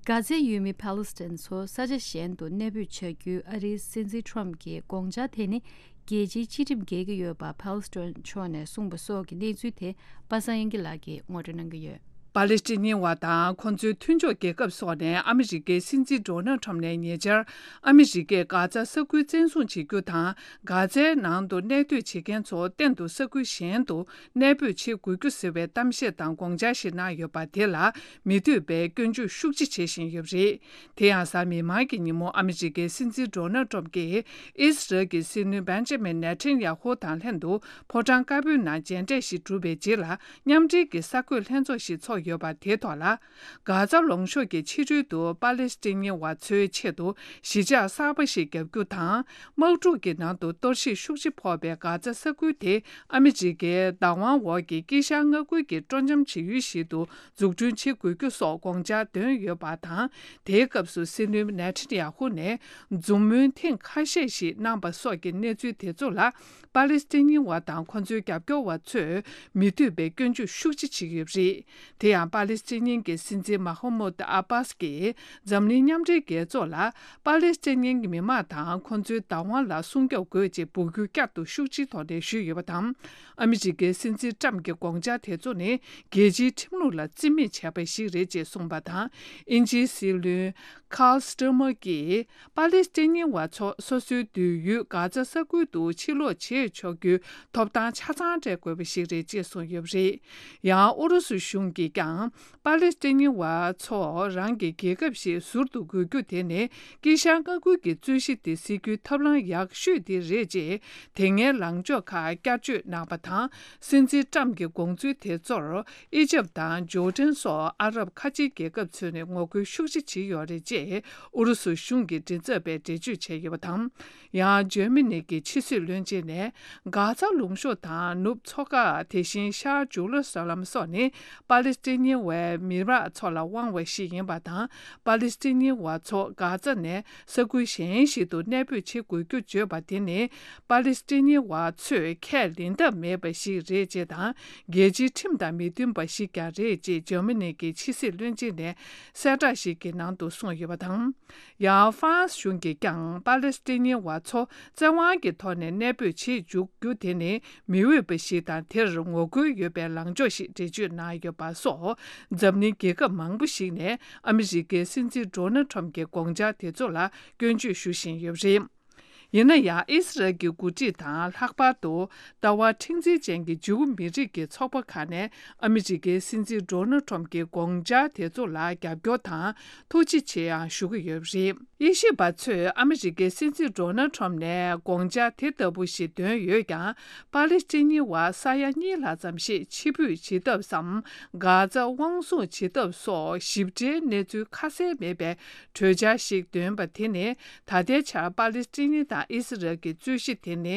གྷ་ཛའི་ཡུལ་མི་ཕཱ་ལི་སི་ཐན་ཚོ་ས་ཆ་གཞན་དུ་གནས་སྤོས་བྱ་རྒྱུའི་ཨ་རིའི་སྲིད་འཛིན་ཊྲམ་གྱི་དགོངས་འཆར་དེ་ནི་རྒྱལ་སྤྱིའི་སྤྱི་ཁྲིམས་འགལ་གྱི་ཡོད་པ་ཕཱ་ལི་སི་ཐན་ཕྱོགས་ནས་གསུངས་པ་སོགས་ཀྱི་གནས་ཚུལ་དེ་པ་སངས་དབྱངས་སྐྱིད་ལགས་ཀྱིས་ངོ་སྤྲོད་གནང་གི་ཡོད། པཱ་ལི་སི་ཐན་བ་དང་ཁོ་ཚོའི་མཐུན་ཕྱོགས་རྒྱལ་ཁབ་སོགས་ནས་ཨ་མི་རི་ཀའི་སྲིད་འཛིན་ཌོ་ནལ་ཊམ་ནས་ཉེ་ཆར་ཨ་མི་རི་ཀས་གྷ་ཛ་ས་ཁུལ་བཙན་བཟུང་བྱེད་རྒྱུ་དང་། གྷ་ཛའི་ནང་དུ་གནས་སྡོད་བྱེད་མཁན་ཚོ་གཏན་དུ་ས་ཁུལ་གཞན་དུ་གནས་སྤོས་བྱེད་དགོས་རྒྱུ་ཟེར་བའི་གཏམ་བཤད་དང་དགོངས་འཆར་ཞིག་གནང་ཡོད་པ་དེ་ལ་མི་འདོད་པའི་སྐྱོན་བརྗོད་ཤུགས་ཆེ་བྱེད་བཞིན་ཡོད་པ་རེད། དེ་ཡང་གཟའ་མིག་དམར་གྱི་ཉིན་མོ་ཨ་མི་རི་ཀའི་སྲིད་འཛིན་ཌོ་ནལ་ཊམ་གྱིས་ཨི་སི་རལ་གྱི་སྲིད་བློན་བེན་ཇ་མིན་ནེ་ཐན་ཡ་ཧུ་དང་ལྷན་དུ་ཕོ་བྲང་དཀར་པོའི་ནང་མཇལ་འཕྲད་ཞིག་གྲུབ་པའི་རྗེས་ལ་མཉམ་འབྲེལ་གྱི་གསར་འགོད་ལྷན་ཚོགས་ཤིག་ཚོགས་ཡོད་པ་དེའི་ཐོག་ལ། གྷ་ཛ་ལུང་གཤོང་གི་ཕྱི་རོལ་དུ་པཱ་ལེ་སི་ཐན་བ་ཚོའི་ཆེད་དུ་གཞིས་ཆགས་གསར་པ་ཞིག་བརྒྱབ་རྒྱུ་དང་། དམག་འཁྲུག་གི་ནང་དུ་གཏོར་བཤིག་ཤུགས་ཆེ་ཕོག་པའི་གྷ་ཛ་ས་ཁུལ་དེ་ཨ་མི་རི་ཀའི་བདག་དབང་འོག་གི་དཀྱིལ་ཤར་མངའ་ཁུལ་གྱི་སྤྲོ་འཆམ་བྱེད་ཡུལ་ཞིག་ཏུ་འཛུགས་སྐྲུན་བྱེད་དགོས་རྒྱུ་སོགས་དགོངས་འཆར་བཏོན་ཡོད་པ་དང་། དེའི་སྐབས་སུ་སྲིད་བློན་ནེ་ཐན་ཡ་ཧུ་ནས་འཛུམ་དམུལ་ཐེངས་ཁ་ཤས་ཤིག་གནང་པ་སོགས་ཀྱི་གནས་ཚུལ་དེ་ཚོ་ལ། པཱ་ལི་སི་ཐན་བ་དང་ཁོ་ཚོའི་རྒྱབ་སྐྱོར་བ་ཚོས་མི་འདོད་པའི་སྐྱོན་བརྗོད་ཤུགས་ཆེ་བྱེད་ཀྱི་ཡོད་པ་རེད། དེ་ཡང་པཱ་ལི་སི་ཐན་གྱི་སྲིད་འཛིན་མ་ཧ་མུད་ཨ་བྷཱ་སི་ཀྱིས་འཛམ་གླིང་མཉམ་འབྲེལ་རྒྱལ་ཚོགས་ལ་པཱ་ལི་སི་ཐན་གྱི་མི་མང་དང་ཁོ་ཚོའི་བདག་དབང་ལ་སྲུང་སྐྱོབ་དགོས་ཅེས་འབོད་སྐུལ་བསྐྱར་དུ་ཤུགས་ཆེའི་ཐོག་ནས་ཞུས་ཡོད་པ་དང་། ཨ་མི་རི་ཀའི་སྲིད་འཛིན་ཊམ་གྱི་དགོངས་འཆར་དེ་ཚོ་ནི་རྒྱལ་སྤྱིའི་ཁྲིམས་ལུགས་ལ་བརྩི་མེད་བྱས་པ་ཞིག་རེད་ཅེས་གསུངས་པ་དང་། དབྱིན་ཇིའི་སྲིད་བློན་ཁཱལ་སི་ཊར་མར་གྱིས། པཱ་ལི་སི་ཐན་བ་ཚོ་སོ་སོའི་སྡོད་ཡུལ་གྷ་ཛ་ས་ཁུལ་དུ་ཕྱིར་ལོག་བྱེད་ཆོག་རྒྱུའི་ཐོབ་ཐང་ཆ་ཚང་སྤྲད་དགོས་པ་ཞིག་རེད་ཅེས་གསུངས་ཡོད་པ་རེད། ཡང་ཨུ་རུ་སུ་གཞུང་གིས་ཀྱང་པཱ་ལི་སི་ཐན་བ་ཚོ་རང་གི་རྒྱལ་ཁབ་ཞིག་ཟུར་དུ་དགོས་རྒྱུ་དེ་ནི་དཀྱིལ་ཤར་མངའ་ཁུལ་གྱི་རྩོད་གཞི་དེ་སེལ་རྒྱུའི་ཐབས་ལམ་ཡག་ཤོས་དེ་རེད་ཅེས་དེ་སྔའི་ལངས་ཕྱོགས་ཁག་བསྐྱར་བརྗོད་གནང་པ་དང་། སྲིད་འཛིན་ཊམ་གྱི་དགོངས་ཚུལ་དེ་ཚོར། ཨི་ཇབ་དང་ཇོར་ཌན་སོགས་ཨ་རབ་ཁ་ཆེའི་རྒྱལ་ཁབ་ཚོས་ནས་ངོ་རྒོལ་ཤུགས་ཆེ་བྱས་ཡོད་རེད་ཅེས་ཨུ་རུ་སུ་གཞུང་གི་མགྲིན་ཚབ་པས་འགྲེལ་བརྗོད་བྱས་ཡོད་པ་དང་། ཡང་ཇར་མ་ནི་གི་ཕྱི་སྲིད་བློན་ཆེན་ནས་གྷ་ཛ་ལུང་གཤོང་དང་ནུབ་མཚོ་ཁ་དེ་བཞིན་ཤར་ཇུ་ལུ་ས་ལམ་སོགས་ནི་པཱ་ལི་སི་ཐན་བའི་མི་རབས་ཚོ་ལ་དབང་བ་ཞིག་ཡིན་པ་དང་། པཱ་ལི་སི་ཐན་བ་ཚོ་གྷ་ཛ་ནས་ས་ཁུལ་གཞན་ཞིག་ཏུ་གནས་སྤོས་བྱེད་དགོས་རྒྱུ་བརྗོད་པ་དེ་ནི། པཱ་ལི་སི་ཐན་བ་ཚོས་ཁས་ལེན་ཐབས་མེད་པ་ཞིག་རེད་ཅེས་དང་། རྒྱལ་སྤྱིའི་ཁྲིམས་དང་མི་མཐུན་པ་ཞིག་ཀྱང་རེད་ཅེས་འཇར་མ་ནི་གི་ཕྱི་སྲིད་བློན་ཆེན་ནས་གསལ་བསྒྲགས་ཤིག་གི་ནང་དུ་གསུངས་ཡོད་པ་དང་། ཡང་ཧྥ་རན་སི་གཞུང་གིས་ཀྱང་པཱ་ལི་སི་ཐན་བ་ཚོ་བཙན་དབང་གི་ཐོག་ནས་གནས་སྤོས་བྱེད་འཇུག་རྒྱུ་དེ་ནི་མི་འོས་པ་ཞིག་དང་། དེར་ངོ་རྒོལ་ཡོད་པའི་ལངས་ཕྱོགས་ཤིག་འགྲེལ་བརྗོད་གནང་ཡོད་པ་སོགས། འཛམ་གླིང་རྒྱལ་ཁབ་མང་པོ་ཞིག་ནས་ཨ་མི་རི་ཀའི་སྲིད་འཛིན་ཌོ་ནལ་ཁྲམ་གྱི་དགོངས་འཆར་དེ་ཚོ་ལ་སྐྱོན་བརྗོད་ཞུ་བཞིན་ཡོད་པ་རེད། ཡིན་ན་ཡང་ཨི་སི་རལ་གྱི་འགོ་ཁྲིད་དང་ལྷག་པར་དུ་ལྟ་བ་མཁྲེགས་འཛིན་ཅན་གྱི་ཇིའུ་མི་རིགས་ཀྱི་ཚོགས་པ་ཁག་ནས་ཨ་མི་རི་ཀའི་སྲིད་འཛིན་ཌོ་ནལ་ཁྲོམ་གྱི་དགོངས་འཆར་དེ་ཚོ་ལ་རྒྱབ་སྐྱོར་དང་ཐུགས་རྗེ་ཆེ་ཡང་ཞུ་གི་ཡོད་པ་རེད། དབྱེ་ཞིབ་པ་ཚོས་ཨ་མི་རི་ཀའི་སྲིད་འཛིན་ཌོ་ནལ་ཁྲོམ་ནས་དགོངས་འཆར་དེ་ལྟ་བུ་ཞིག་བཏོན་ཡོད་ཀྱང་། པ་ལི་སི་ཐན་ཉི་བར་ས་ཡ་གཉིས་ལྷག་ཙམ་ཞིག་ཕྱིར་འབུད་བྱེད་ཐབས་སམ། གྷ་ཛ་དབང་བཟུང་བྱེད་ཐབས་སོགས་ཞིབ་ཕྲའི་གནས་ཚུལ་ཁ་གསལ་མེད་པའི་གྲོས་འཆར་ཞིག་འདོན་པ་དེ་ནི། ད་ལྟའི་ཆར་པ་ལི་སི་ཐན་ཉི་དང་ཨི་སི་རལ་གྱི་རྩོད་གཞི་དེ་ནི།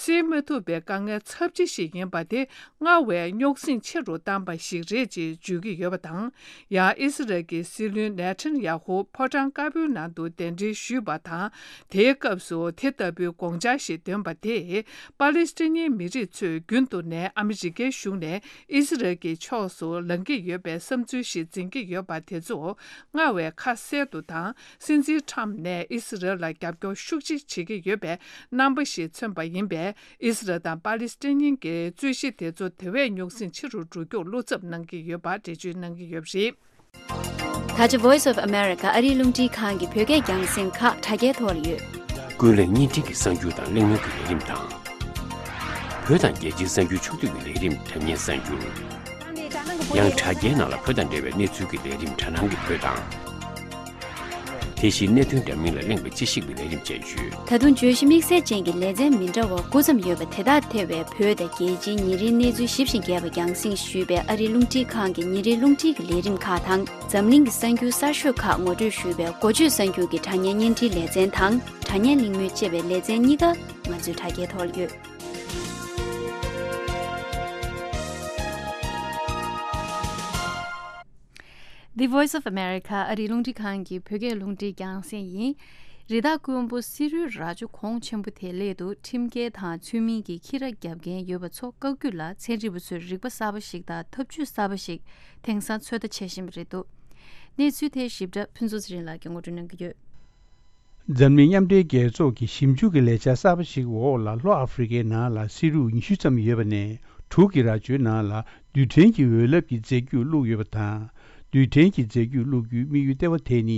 སེལ་མ་ཐུབ་པའི་དཀའ་ངལ་ཚབས་ཆེ་ཞིག་ཡིན་པ་དེ། སྔར་བས་རྙོག་ཟིང་ཆེ་རུ་བཏང་བ་ཞིག་རེད་ཅེས་བརྗོད་ཀྱི་ཡོད་པ་དང་། ཡང་ཨི་སི་རལ་གྱི་སྲིད་བློན་ནེ་ཐན་ཡ་ཧུ་ཕོ་བྲང་དཀར་པོའི་ནང་དུ་གདན་འདྲེན་ཞུས་པ་དང་། དེའི་སྐབས་སུ་དེ་ལྟ་བུའི་དགོངས་འཆར་ཞིག་འདོན་པ་དེས། པ་ལི་སི་ཐན་ཉིའི་མི་རིགས་ཚོས་རྒྱུན་དུ་ནས་ཨ་མི་རི་ཀའི་གཞུང་ནས་ཨི་སི་རལ་གྱི་ཕྱོགས་སུ་ལངས་ཀྱི་ཡོད་པའི་བསམ་ཚུལ་ཞིག་འཛིན་གྱི་ཡོད་པ་དེ་ཚོ་སྔར་བས་ཁ་གསལ་དུ་དང་། སྲིད་འཛིན་ཁྲམ་ནས་ཨི་སི་རལ་ལ་རྒྱབ་སྐྱོར་ཤུགས་ཆེ་བྱེད་ཀྱི་ཡོད་པའི་རྣམ་པ་ཞིག་མཚོན་པ་ཡིན་པས། ཨི་སི་རལ་དང་པ་ལི་སི་ཐན་གཉིས་ཀྱི་རྩོད་གཞི་དེ་ཚོ་དེ་བས་རྙོག་ཟིང་ཆེ་རུ་འགྲོ་རྒྱུར་བློ་འཚབ་གནང་གི་ཡོད་པ་འགྲེལ་བརྗོད་གནང་གི་ཡོད་པ་རེད། ད་ཆ་Voice of America ཨ་རིའི་རླུང་འཕྲིན་ཁང་གི་བོད་སྐད་རྒྱང་སྲིང་ཁག་དྲ་རྒྱའི་ཐོག་ལ་ཡོད། ཀུན་གླེང་བརྙན་འཕྲིན་གྱི་གསར་འགྱུར་དང་གླེང་མོལ་གྱི་ལས་རིམ་དང་། བོད་དང་རྒྱལ་སྤྱིའི་གསར་འགྱུར་ཕྱོགས་བསྡུས་ཀྱི་ལས་རིམ་དྲ་བརྙན་གསར་འགྱུར། ཡང་དྲ་རྒྱའི་ནང་ལ་བོད་དང་འབྲེལ་བའི་གནས་ཚུལ་གྱི་ལས་རིམ་དྲ་སྣང་གི་བོད་དང་། དེ་བཞིན་གནད་དོན་འདྲ་མིན་ལ་གླེང་བའི་དཔྱད་ཞིབ་ཀྱི་ལས་རིམ་བཅས་ཡོད། ད་དུང་བརྗོད་གཞི་དམིགས་བསལ་ཅན་གྱི་ལེ་ཚན་མི་འདྲ་བ་དགུ་ཙམ་ཡོད་པ་དེ་དག་ཐེ་བའི་བོད་དང་རྒྱལ་སྤྱིའི་ཉིན་རེའི་གནས་ཚུལ་ཞིབ་ཅིང་རྒྱས་པ་རྒྱང་སྲིང་ཞུས་པའི་ཨ་རིའི་རླུང་འཕྲིན་ཁང་གི་ཉིན་རེའི་རླུང་འཕྲིན་གྱི་ལས་རིམ་ཁག་དང་། འཛམ་གླིང་གི་གསར་འགྱུར་གསར་ཤོས་ཁག་ངོ་སྤྲོད་ཞུས་པའི་འགོ་བརྗོད་གསར་འགྱུར་གྱི་དྲ་བརྙན་བརྙན་འཕྲིན་ལེ་ཚན་དང་། དྲ་བརྙན་གླེང་མོལ་ཅེས་པའི་ལེ་ཚན་གཉིས་ཀ་ང་ཚོའི་དྲ་རྒྱའི་ཐོག་ལ་ཡོད། The Voice of America ཨ་རིའི་རླུང་འཕྲིན་ཁང་གི་བོད་སྐད་རླུང་འཕྲིན་རྒྱང་སྲིང་ཡིན། རི་དྭགས་དཀོན་པོ་སི་རུའི་རྭ་ཅོ་གོང་ཆེན་པོ་དེའི་སླད་དུ་ཁྲིམས་འགལ་དང་ཚུལ་མིན་གྱི་ཁྱི་ར་བརྒྱབ་མཁན་ཡོད་པ་ཚོ་བཀག་རྒྱུ་ལ་ཚན་རིག་པ་ཚོས་རིག་པ་གསར་པ་ཞིག་དང་ཐབས་ཇུས་གསར་པ་ཞིག་དེང་སང་ཚོད་ལྟ་བྱེད་བཞིན་པ་རེད་འདུག་གནས་ཚུལ་དེའི་ཞིབ་ཕྲ་ཕུན་ཚོགས་ཚེ་རིང་ལགས་ཀྱིས་ངོ་སྤྲོད་གནང་གི་ཡོད། འཛམ་གླིང་མཉམ་འབྲེལ་རྒྱལ་ཚོགས་ཀྱི་ཞིབ་འཇུག་གི་ལས་འཆར་གསར་པ་ཞིག་འོག་ལ་ལྷོ་ཨ་ཧྥེ་རི་ཁའི་ནང་ལ་སི་རུ་ཉི་ཤུ་ཙམ་ཡོད་པ་ནས་དྲུག་གི་རྭ་ཅོའི་ནང་ལ་རྡུལ་ཕྲན་གྱི་འོད་རླབས་ཀྱི་རྫས་འགྱུར་བླུགས་ཡོད་པ་དང་། རྡུལ་ཕྲན་གྱི་རྫས་འགྱུར་བླུགས་རྒྱུའི་དམིགས་ཡུལ་ལྟེ་བ་དེ་ནི་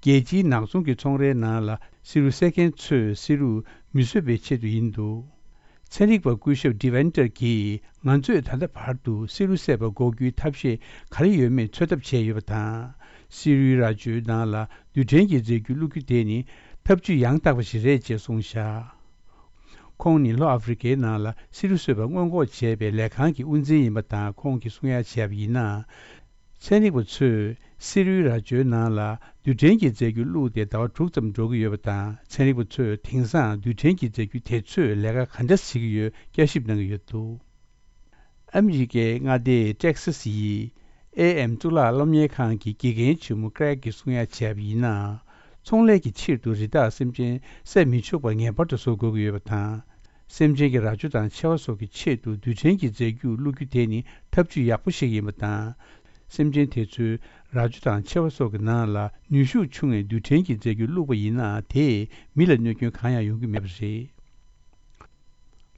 རྒྱལ་སྤྱིའི་ནག་ཚོང་གི་ཚོང་རའི་ནང་ལ་སི་རུ་བསད་མཁན་ཚོས་སི་རུ་མི་གསོད་པའི་ཆེད་དུ་ཡིན་འདུག་ཚན་རིག་པ་སྐུ་ཞབས་ཌི་ཝན་ཏར་གྱིས་ང་ཚོས་ད་ལྟ་བར་དུ་སི་རུ་བསད་པ་འགོག་རྒྱུའི་ཐབས་ཤེས་ག་རེ་ཡོད་མེད་འཚོལ་ཐབས་བྱས་ཡོད་པ་དང་། སི་རུའི་རྭ་ཅོའི་ནང་ལ་རྡུལ་ཕྲན་གྱི་རྫས་འགྱུར་བླུགས་རྒྱུ་དེ་ནི་ཐབས་ཇུས་ཡང་དག་པ་ཞིག་རེད་ཅེས་གསུངས་བཞག་ཁོང་ནི་ལྷོ་ཨ་ཧྥེ་རི་ཁའི་ནང་ལ་སི་རུ་གསོད་པ་སྔོན་འགོག་བྱས་པའི་ལས་ཁང་གི་དབུ་འཛིན་ཡིན་པ་དང་། ཁོང་གིས་གསུང་ཡ་བྱས་པ་ཡིན་ན། ཚན་རིག་པ་ཚོས་སི་རུའི་རྭ་ཅོའི་ནང་ལ་རྡུལ་ཕྲན་གྱི་རྫས་འགྱུར་བླུགས་ཏེ་ཟླ་བ་དྲུག་ཙམ་འགྲོ་གི་ཡོད་པ་དང་། ཚན་རིག་པ་ཚོས་དེང་སང་རྡུལ་ཕྲན་གྱི་རྫས་འགྱུར་དེ་ཚོས་ལས་ཀ་ག་འདྲ་བྱེད་ཀྱི་ཡོད་བསྐྱར་ཞིབ་གནང་གི་ཡོད་འདུག་ཨ་མི་རི་ཀའི་མངའ་སྡེ་ཏེག་སཱ་སི་ཡི་ཨེ་ཨེམ་གཙུག་ལག་སློབ་གཉེར་ཁང་གི་དགེ་རྒན་ཆེན་མོ་ཀྲེག་གིས་གསུང་ཡ་བྱས་པ་ཡིན་ན། ཚོང་ལས་ཀྱི་ཕྱིར་དུ་རི་དྭགས་སེམས་ཅན་བསད་མི་ཆོག་པ་ངེས་པར་དུ་བཟོ་དགོས་ཀྱི་ཡོད་པ་དང་། སེམས་ཅན་གྱི་རྭ་ཅོ་དང་མཆེ་བ་སོགས་ཀྱི་ཆེད་དུ་རྡུལ་ཕྲན་གྱི་རྫས་འགྱུར་བླུགས་རྒྱུ་དེ་ནི་ཐབས་ཇུས་ཡག་པོ་ཞིག་ཡིན་པ་དང་། སེམས་ཅན་དེ་ཚོའི་རྭ་ཅོ་དང་མཆེ་བ་སོགས་ཀྱི་ནང་ལ་ནུས་ཤུགས་ཆུང་བའི་རྡུལ་ཕྲན་གྱི་རྫས་འགྱུར་བླུགས་པ་ཡིན་ན། དེས་མི་ལ་གནོད་སྐྱོན་གང་ཡང་ཡོང་གི་མེད་པ་རེད།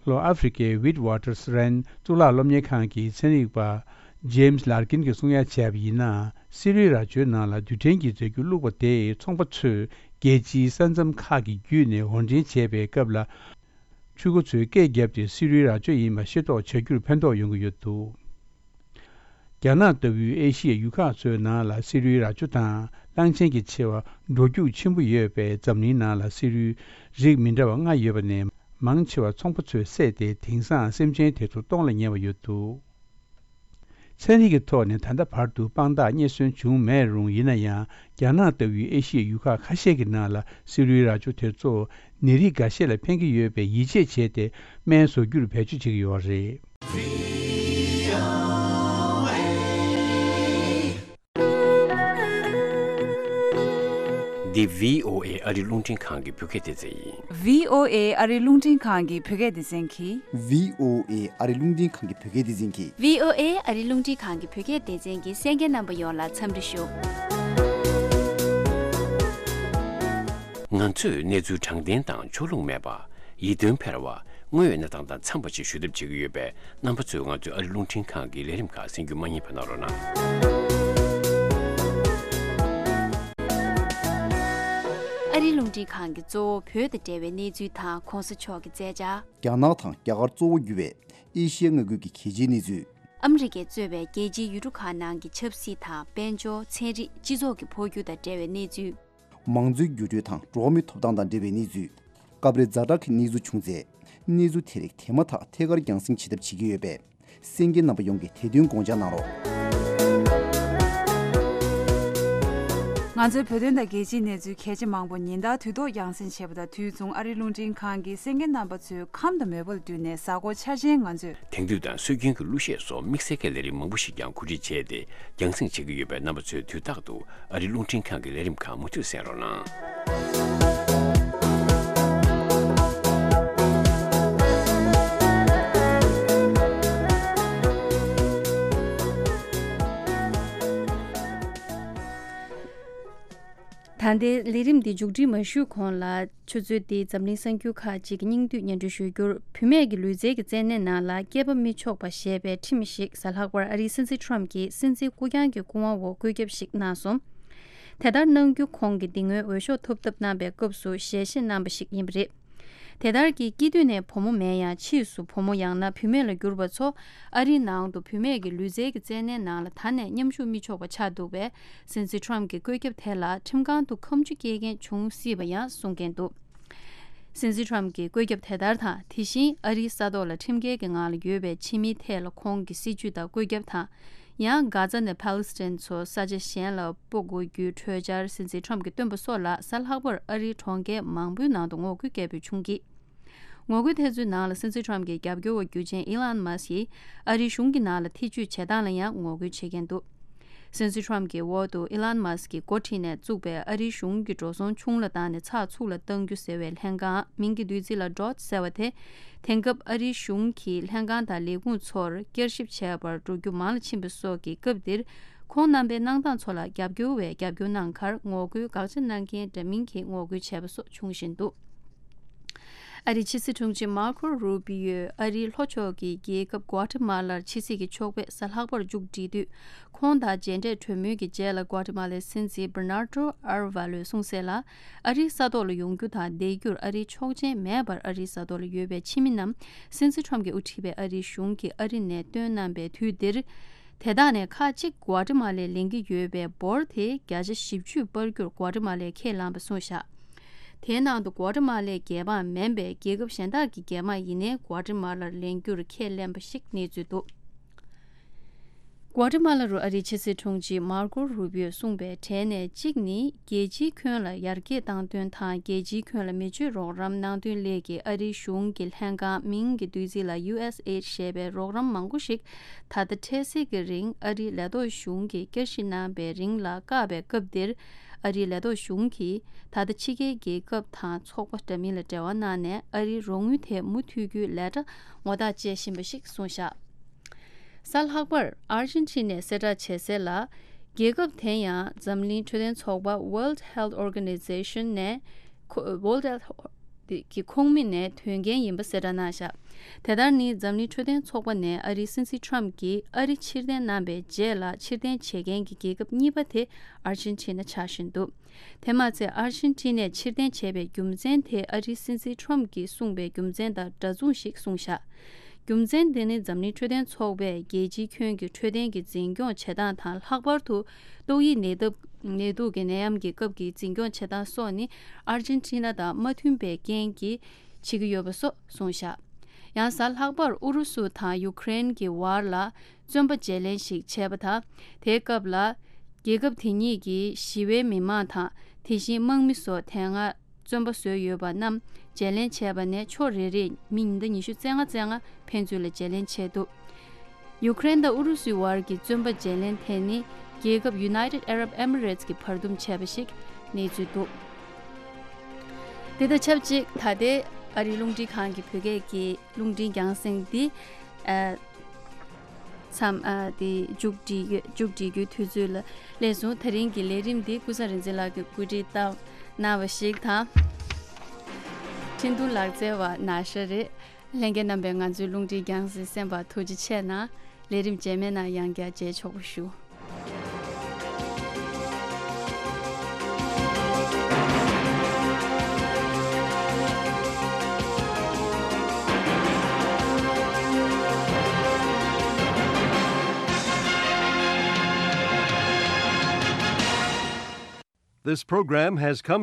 ལྷོ་ཨ་ཧྥེ་རི་ཁའི་ཝིཊ་ཝ་ཊར་སི་རན་གཙུག་ལག་སློབ་གཉེར་ཁང་གི་ཚན་རིག་པ་ཇེམ་སི་ལར་ཀིན་གྱིས་གསུང་ཡ་བྱས་པ་ཡིན་ན། སི་རུའི་རྭ་ཅོའི་ནང་ལ་རྡུལ་ཕྲན་གྱི་རྫས་འགྱུར་བླུགས་པ་དེས་ཚོང་པ་ཚོས་རྒྱལ་སྤྱིའི་ས་མཚམས་ཁག་གི་བརྒྱུད་ནས་འོར་འདྲེན་བྱས་པའི་སྐབས་ལ། ཕྲུ་གུ་ཚོས་སྐད་བརྒྱབ་སྟེ་སི་རུའི་རྭ་ཅོ་ཡིན་པ་ཤེས་རྟོགས་བྱ་རྒྱུར་ཕན་ཐོགས་ཡོང་གི་ཡོད་འདུག་རྒྱ་ནག་ལྟ་བུའི་ཨེ་ཤི་ཡའི་ཡུལ་ཁག་ཚོའི་ནང་ལ་སི་རུའི་རྭ་ཅོ་དང་གླང་ཆེན་གྱི་མཆེ་བ་འགྲོ་རྒྱུག་ཆེན་པོ་ཡོད་པས། འཛམ་གླིང་ནང་ལ་སི་རུའི་རིགས་མི་འདྲ་བ་ལྔ་ཡོད་པ་ནས། མང་ཆེ་བ་ཚོང་པ་ཚོས་བསད་དེ། དེང་སང་སེམས་ཅན་དེ་ཚོ་སྟོང་ལ་ཉེ་བ་ཡོད་འདུག་ཚན་རིག་གི་ཐོག་ནས་ད་ལྟ་བར་དུ་དཔང་རྟགས་རྙེད་སོན་བྱུང་མེད་རུང་། ཡིན་ན་ཡང་རྒྱ་ནག་ལྟ་བུའི་ཨེ་ཤི་ཡའི་ཡུལ་ཁག་ཁ་ཤས་ཀྱི་ནང་ལ་སི་རུའི་རྭ་ཅོ་དེ་ཚོ་ནད་རིགས་འགའ་ཤས་ལ་ཕན་གྱི་ཡོད་པའི་ཡིད་ཆེས་བྱས་ཏེ། སྨན་བཟོ་རྒྱུར་བེད་སྤྱོད་བྱེད་ཀྱི་ཡོད་རེད། འདི་བྷི་ཨོ་ཨེ་ཨ་རི་རླུང་འཕྲིན་ཁང་གི་བོད་སྐད་སྡེ་ཚན་ཡིན། བྷི་ཨོ་ཨེ་ཨ་རི་རླུང་འཕྲིན་ཁང་གི་བོད་སྐད་སྡེ་ཚན་གྱིས། བྷི་ཨོ་ཨེ་ཨ་རི་རླུང་འཕྲིན་ཁང་གི་བོད་སྐད་སྡེ་ཚན་གྱིས། བྷི་ཨོ་ཨེ་ཨ་རི་རླུང་འཕྲིན་ཁང་གི་བོད་སྐད་སྡེ་ཚན་གྱི་གསན་མཁན་རྣམ་པ་ཡོངས་ལ་འཚམས་འདྲི་ཞུ། ང་ཚོས་གནས་ཚུལ་དྲང་བདེན་དང་ཕྱོགས་ལྷུང་མེད་པ། ཡིད་རྟོན་འཕེར་བ། དངོས་ཡོད་གནས་སྟངས་དང་འཚམས་པ་ཞིག་ཞུ་ཐབས་བྱེད་ཀྱི་ཡོད་པས། རྣམ་པ་ཚོས་ང་ཚོའི་ཨ་རི་རླུང་འཕྲིན་ཁང་གི་ལས་རིམ་ཁག་གསན་རྒྱུ་མ་བསྙེལ་བ་གནང་རོགས་གནང་། ཨ་ ཨ་རིའི་རླུང་འཕྲིན་ཁང་གི་གཙོ་བོ་བོད་དང་འབྲེལ་བའི་གནས་ཚུལ་དང་གོང་ས་མཆོག་གི་མཛད་འཆར། རྒྱ་ནག་དང་རྒྱ་གར་གཙོ་བོ་གྱུར་བའི་ཨེ་ཤི་ཡའི་མངའ་ཁུལ་གྱི་གལ་ཆེའི་གནས་ཚུལ། ཨ་མི་རི་ཀས་གཙོས་པའི་རྒྱལ་སྤྱིའི་ཡུལ་གྲུ་ཁག་ནང་གི་ཆབ་སྲིད་དང་། དཔལ་འབྱོར། ཚན་རིག་སྤྱི་ཚོགས་ཀྱི་འཕོ་འགྱུར་དང་འབྲེལ་བའི་གནས་ཚུལ། མང་གཙོའི་འགྱུར་འགྲོས་དང་འགྲོ་བ་མིའི་ཐོབ་ཐང་དང་འབྲེལ་བའི་གནས་ཚུལ། སྐབས་རེ་ཛ་དྲག་གི་གནས་ཚུལ་བྱུང་ཚེ། གནས་ཚུལ་དེ་རིགས་དེ་མ་ཐག་ཐད་ཀར་རྒྱང་སྲིང་བྱེད་ཐབས་བྱེད་ཀྱི་ཡོད་པས། གསན་མཁན་རྣམ་པ་ཡོངས་ཀྱིས་དེ་དོན་དགོངས་འཇགས་གནང་རོགས། ང་ཚོའི་བོད་དོན་དང་རྒྱལ་སྤྱིའི་གནས་ཚུལ་གལ་ཆེ་མང་པོ་ཉིན་ལྟར་དུས་ཐོག་རྒྱང་སྲིང་བྱེད་པ་དང་། དུས་མཚུངས་ཨ་རིའི་རླུང་འཕྲིན་ཁང་གིས་གསན་མཁན་རྣམ་པ་ཚོའི་ཁམས་དང་མོས་པ་ལ་བསྟུན་ནས་གཟའ་འཁོར་འཆར་ཅན་ང་ཚོས། དེང་དུས་དང་སྲོལ་རྒྱུན་གྱི་གླུ་གཞས་སོགས་དམིགས་བསལ་གྱི་ལས་རིམ་མང་པོ་ཞིག་ཀྱང་གོ་སྒྲིག་བྱས་ཏེ་རྒྱང་སྲིང་བྱེད་ཀྱི་ཡོད་པས། རྣམ་པ་ཚོས་དུས་རྟག་ཏུ་ཨ་རིའི་རླུང་འཕྲིན་ཁང་གི་ལས་རིམ་ཁག་མུ་མཐུད་གསན་རོགས་གནང་། ད་ལྟའི་ལས་རིམ་འདི་མཇུག་སྒྲིལ་མ་ཞུས་གོང་ལ། ཆུ་ཚོད་འདིའི་འཛམ་གླིང་གསར་འགྱུར་ཁག་ཅིག་གི་སྙིང་བསྡུས་སྙན་སྒྲོན་ཞུ་རྒྱུར། བུད་མེད་ཀྱི་ལུས་རྩལ་གྱི་རྩེད་གནས་ནང་ལ་སྐྱེས་པ་མི་ཆོག་པ་ཞེས་པའི་ཁྲིམས་ཤིག་གཟའ་ལྷག་པར་ཨ་རིའི་སྲིད་འཛིན་ཁྲོམ་གྱིས་སྲིད་འཛིན་སྐུ་རྐྱང་གི་སྐུ་དབང་འོག་བཀོད་ཁྱབ་ཞིག་གནང་སོང་། དེ་ལྟར་གནང་རྒྱུ་ཁོང་གིས་འདི་སྔོན་འོས་ཤོག་ཐོབ་ཐབས་གནང་པའི་སྐབས་སུ་ཞལ་བཞེས་གནང་པ་ཞིག་ཡིན་པ་རེད། དེ་ལྟར་གྱི་སྐྱེས་དུས་ནས་བུ་མོ་མེད་ཡང་ཕྱིས་སུ་བུ་མོ་ཡང་ན་བུད་མེད་ལ་གྱུར་པ་ཚོ་ཨ་རིའི་ནང་དུ་བུད་མེད་ཀྱི་ལུས་རྩལ་གྱི་རྩེད་གནས་ནང་ལ་ད་ནས་མཉམ་ཞུགས་མི་ཆོག་པ་ཆགས་འདུག་པས། སྲིད་འཛིན་ཁྲོམ་གྱི་བཀོད་ཁྱབ་དེ་ལ་ཁྲིམས་ཁང་དུ་ཁ་མཆུ་སྐྱེལ་མཁན་བྱུང་སྲིད་པ་ཡང་གསུང་མཁན་འདུག། སྲིད་འཛིན་ཁྲོམ་གྱི་བཀོད་ཁྱབ་དེ་ལྟར་དང་། དེ་བཞིན་ཨ་རིའི་ས་ཐོག་ལ་ཁྲིམས་འགལ་གྱི་ངང་ལ་ཡོད་པའི་ཕྱི་མིའི་ཐད་ལ་ཁོང་གི་སྲིད་བྱུས་དང་བཀོད་ཁྱབ་དང་། ཡང་། གྷ་ཛ་ནས་ཕཱ་ལི་སི་ཐན་ཚོ་ས་ཆ་གཞན་ལ་སྤོ་དགོས་རྒྱུའི་གྲོས་འཆར་སྲིད་འཛིན་ཁྲོམ་གྱིས་བཏོན་པ་སོགས་ལ་གཟའ་ལྷག་པར་ཨ་རིའི་གྲོང་ཁྱེར་མང་པོའི་ནང་དུ་ངོ་རྒོལ་སྐད་འབོད་བྱུང་གིས། ངོ་རྒོལ་དེ་ཚོའི་ནང་ལ་སྲིད་འཛིན་ཁྲོམ་གྱི་རྒྱབ་སྐྱོར་བ་རྒྱུ་ཆེན་ཨི་ལན་མཱ་སི་ཡིས་ཨ་རིའི་གཞུང་གི་ནང་ལ་ཐེ་བྱུས་བྱེད་སྟངས་ལ་ཡང་ངོ་རྒོལ་བྱེད་མཁན་འདུག། སྲིད་འཛིན་ཁྲོམ་གྱི་འོག་ཏུ་ཨི་ལན་མཱ་སི་ཀྱིས་འགོ་ཁྲིད་ནས་བཙུགས་པའི་ཨ་རིའི་གཞུང་གི་འགྲོ་སོང་ཆུང་ལ་བཏང་ནས་ཚགས་ཚུད་ལ་གཏང་རྒྱུ་ཟེར་བའི་ལྷན་ཁང་། མིང་གི་བསྡུས་ཚིག་ལ་ཌོ་ཇི་ཟེར་བ་དེ། དེང་སྐབས་ཨ་རིའི་གཞུང་གིས་ལྷན་ཁང་དང་ལས་ཁུངས་ཚོར་བསྐྱར་ཞིབ་བྱས་པར་འགྲོ་རྒྱུ་མང་ལ་ཕྱིན་པ་སོགས་ཀྱི་སྐབས་འདིར། ཁོང་རྣམ་པའི་གནང་སྟངས་ཚོ་ལ་རྒྱབ་སྐྱོར་བས་རྒྱབ་སྐྱོར་གནང་ཁར་ངོ་རྒོལ་དགག་བྱ་གནང་མཁན་འདྲ་མིན་གྱིས་ངོ་རྒོལ་བྱས་པ་སོགས་བྱུང་བཞིན་འདུག། ཨ་རིའི་ཕྱི་སྲིད་དྲུང་ཆེ་མར་ཁོ་རུ་པི་ཡོས་ཨ་རིའི་ལྷོ་ཕྱོགས་ཀྱི་རྒྱལ་ཁབ་གོ་ཏི་མ་ལར་ཕྱི་སྲིད་ཀྱི་ཕྱོགས་ཕེབས་གཟའ་ལྷག་པར་མཇུག་བསྒྲིལ་དུས། ཁོང་དང་མཇལ་འཕྲད་གྲོས་མོལ་གྱི་རྗེས་ལ་གོ་ཏི་མ་ལའི་སྲིད་འཛིན་བྷར་ནར་ཏོ་ཨར་ཝ་ལོས་གསུངས་གསལ་ལ། ཨ་རིའི་ས་ཐོག་ལ་ཡོང་རྒྱུ་དང་བསྡད་རྒྱུར་ཨ་རིའི་ཆོག་མཆན་མེད་པར་ཨ་རིའི་ས་ཐོག་ལ་ཡོད་པའི་ཕྱི་མི་རྣམས་སྲིད་འཛིན་ཁྲོམ་གྱིས་དབུ་ཁྲིད་པའི་ཨ་རིའི་གཞུང་གིས་ཨ་རི་ནས་བཏོན་གནང་པའི་དུས་འདིར། དེ་དག་ནས་ཁག་གཅིག་གོ་ཏི་མ་ལས་ལེན་གྱི་ཡོད་པའི་འབོར་དེ་བརྒྱ་ཆ་བཞི་བཅུ་སྤར་རྒྱུར་གོ་ཏི་མ་ལས་ཁས་བླངས་པ་གསུངས་བཞག། དེའི་ནང་དུ་གོ་ཏི་མ་ལའི་རྒྱལ་འབངས་མིན་པའི་རྒྱལ་ཁབ་གཞན་དག་གི་རྒྱལ་དམངས་ཡིན་ནའི་གོ་ཏི་མ་ལར་ལེན་རྒྱུར་ཁས་ལེན་པ་ཞིག་གནས་ཚུལ་འདུག། གོ་ཏི་མ་ལ་རུ་ཨ་རིའི་ཕྱི་སྲིད་དྲུང་ཆེ་མར་ཀོ་རུ་པིའོས་གསུངས་པའི་གྲས་ནས་གཅིག་ནི། རྒྱལ་སྤྱིའི་ཁྱོན་ལ་ཡར་རྒྱས་བཏང་དོན་དང་། རྒྱལ་སྤྱིའི་ཁྱོན་ལ་མི་སྤྱོད་རོགས་རམ་གནང་དོན་སླད་ཀྱི་ཨ་རིའི་གཞུང་གི་ལྷན་ཁང་། མིང་གི་བསྡུས་ཚིག་ལ་ཡུ་ཨེས་ཨེ་ཌི་ཞེས་པའི་རོགས་རམ་མང་པོ་ཞིག་ད་ལྟ་འཕྲལ་སེལ་གྱི་རིང་ཨ་རིའི་ལས་ཐོག་གཞུང་གིས་བསྐྱར་ཞིབ་གནང་པའི་རིང་ལ་བཀག་པའི་སྐབས་འདིར། ཨ་རིའི་ལས་ཐོག་གཞུང་གིས་ད་ལྟ་ཕྱི་རྒྱལ་རྒྱལ་ཁབ་དང་ཚོགས་པ་འདྲ་མིན་ལ་འབྲེལ་བ་གནང་ནས་ཨ་རིའི་རོགས་དངུལ་དེ་མུ་མཐུད་རྒྱུའི་ལས་གྲྭ་ངོ་རྟགས་བཅད་བཞིན་པ་ཞིག་གསུངས་བཞག། གཟའ་ལྷག་པར་ཨར་ཇེན་ཊི་ནས་གསལ་བསྒྲགས་བྱས་གསལ་ལ། རྒྱལ་ཁབ་དེ་ཡང་འཛམ་གླིང་འཕྲོད་བསྟེན་ཚོགས་པ་World Health Organization ནས་ཁོ- World Health གི་ཁོངས་མི་ནས་ཐོན་མཁན་ཡིན་པ་གསལ་བསྒྲགས་གནང་བཞག། དེ་ལྟར་ནི་འཛམ་གླིང་འཕྲོད་བསྟེན་ཚོགས་པ་ནས་ཨ་རིའི་སྲིད་འཛིན་ཁྲོམ་གྱིས་ཨ་རི་ཕྱིར་འཐེན་གནང་པའི་རྗེས་ལ་ཕྱིར་འཐེན་བྱེད་མཁན་གྱི་རྒྱལ་ཁབ་གཉིས་པ་དེ་ཨར་ཇེན་ཊི་ན་ཆགས་བཞིན་འདུག། དེ་མ་ཚད་ཨར་ཇེན་ཊི་ནས་ཕྱིར་འཐེན་བྱས་པའི་རྒྱུ་མཚན་དེ་ཨ་རིའི་སྲིད་འཛིན་ཁྲོམ་གྱིས་གསུངས་པའི་རྒྱུ་མཚན་དང་འདྲ་མཚུངས་ཤིག་གསུངས་བཞག། རྒྱུ་མཚན་དེ་ནི་འཛམ་གླིང་འཕྲོད་བསྟེན་ཚོགས་པས་རྒྱལ་སྤྱིའི་ཁྱོན་གྱི་འཕྲོད་བསྟེན་གྱི་འཛིན་སྐྱོང་བྱེད་སྟངས་དང་། ལྷག་པར་དུ་ཏོག་དབྱིབས་ནད་འདབ- ནད་དུག་གི་ནད་ཡམས་ཀྱི་སྐབས་ཀྱི་འཛིན་སྐྱོང་བྱེད་སྟངས་སོགས་ནི་ཨར་ཇེན་ཊི་ན་དང་མ་མཐུན་པའི་རྐྱེན་གྱིས་བྱེད་ཀྱི་ཡོད་པ་སོགས་གསུངས་བཞག། ཡང་གཟའ་ལྷག་པར་ཨུ་རུ་སུ་དང་ཡུ་ཀེ་རེན་གྱི་བར་ལ་བཙོན་པ་བརྗེ་ལེན་ཞིག་བྱས་པ་དང་། དེའི་སྐབས་ལ་རྒྱལ་ཁབ་དེ་གཉིས་ཀྱི་ཞི་བའི་མི་མང་དང་། དེ་བཞིན་དམག་མི་སོགས་དེ་སྔ་བཙོན་པ་བཟོས་ཡོད་པ་རྣམས་བརྗེ་ལེན་བྱས་པ་ནས་ཕྱོགས་རེ་རེས་མི་ཉིན་ལྟར་ཉི་ཤུ་རྩ་ལྔ་རྩ་ལྔ་ཕན་ཚུན་ལ་བརྗེ་ལེན་བྱས་འདུག། ཡུ་ཀེ་རེན་དང་ཨུ་རུ་སུའི་བར་གྱི་བཙོན་པ་བརྗེ་ལེན་དེ་ནི་རྒྱལ་ཁབ་United Arab Emirates གིས་བར་འདུམ་བྱས་པ་ཞིག་གནས་ཚུལ་འདུག། དེ་དང་ཆབས་ཅིག་ད་ལྟའི་ཨ་རིའི་རླུང་འཕྲིན་ཁང་གི་བོད་སྐད་ཀྱི་རླུང་འཕྲིན་རྒྱང་སྲིང་འདི། ཨ། མཚམས། ཨ། དེ་མཇུག་སྒྲིལ་ཡོད། མཇུག་སྒྲིལ་རྒྱུའི་དུས་ཚོད་ལ་སླེབས་སོང་། དེ་རིང་གི་ལས་རིམ་འདི་ཀུན་བཟང་རིག་འཛིན་ལགས་ཀྱིས་གོ་སྒྲིག་བཏང་གནང་བ་ཞིག་དང་། འཕྲིན་ཐུང་ལག་རྩལ་བ་ན་ཤ་རེད། ལྷན་རྒྱས་རྣམ་པས་ང་ཚོའི་རླུང་འཕྲིན་རྒྱང་སྲིང་གསན་པར་ཐུགས་རྗེ་ཆེ་གནང་། ལས་རིམ་རྗེས་མའི་ནང་ཡང་བསྐྱར་མཇལ་ཆོག་པ་ཞུ། This program has come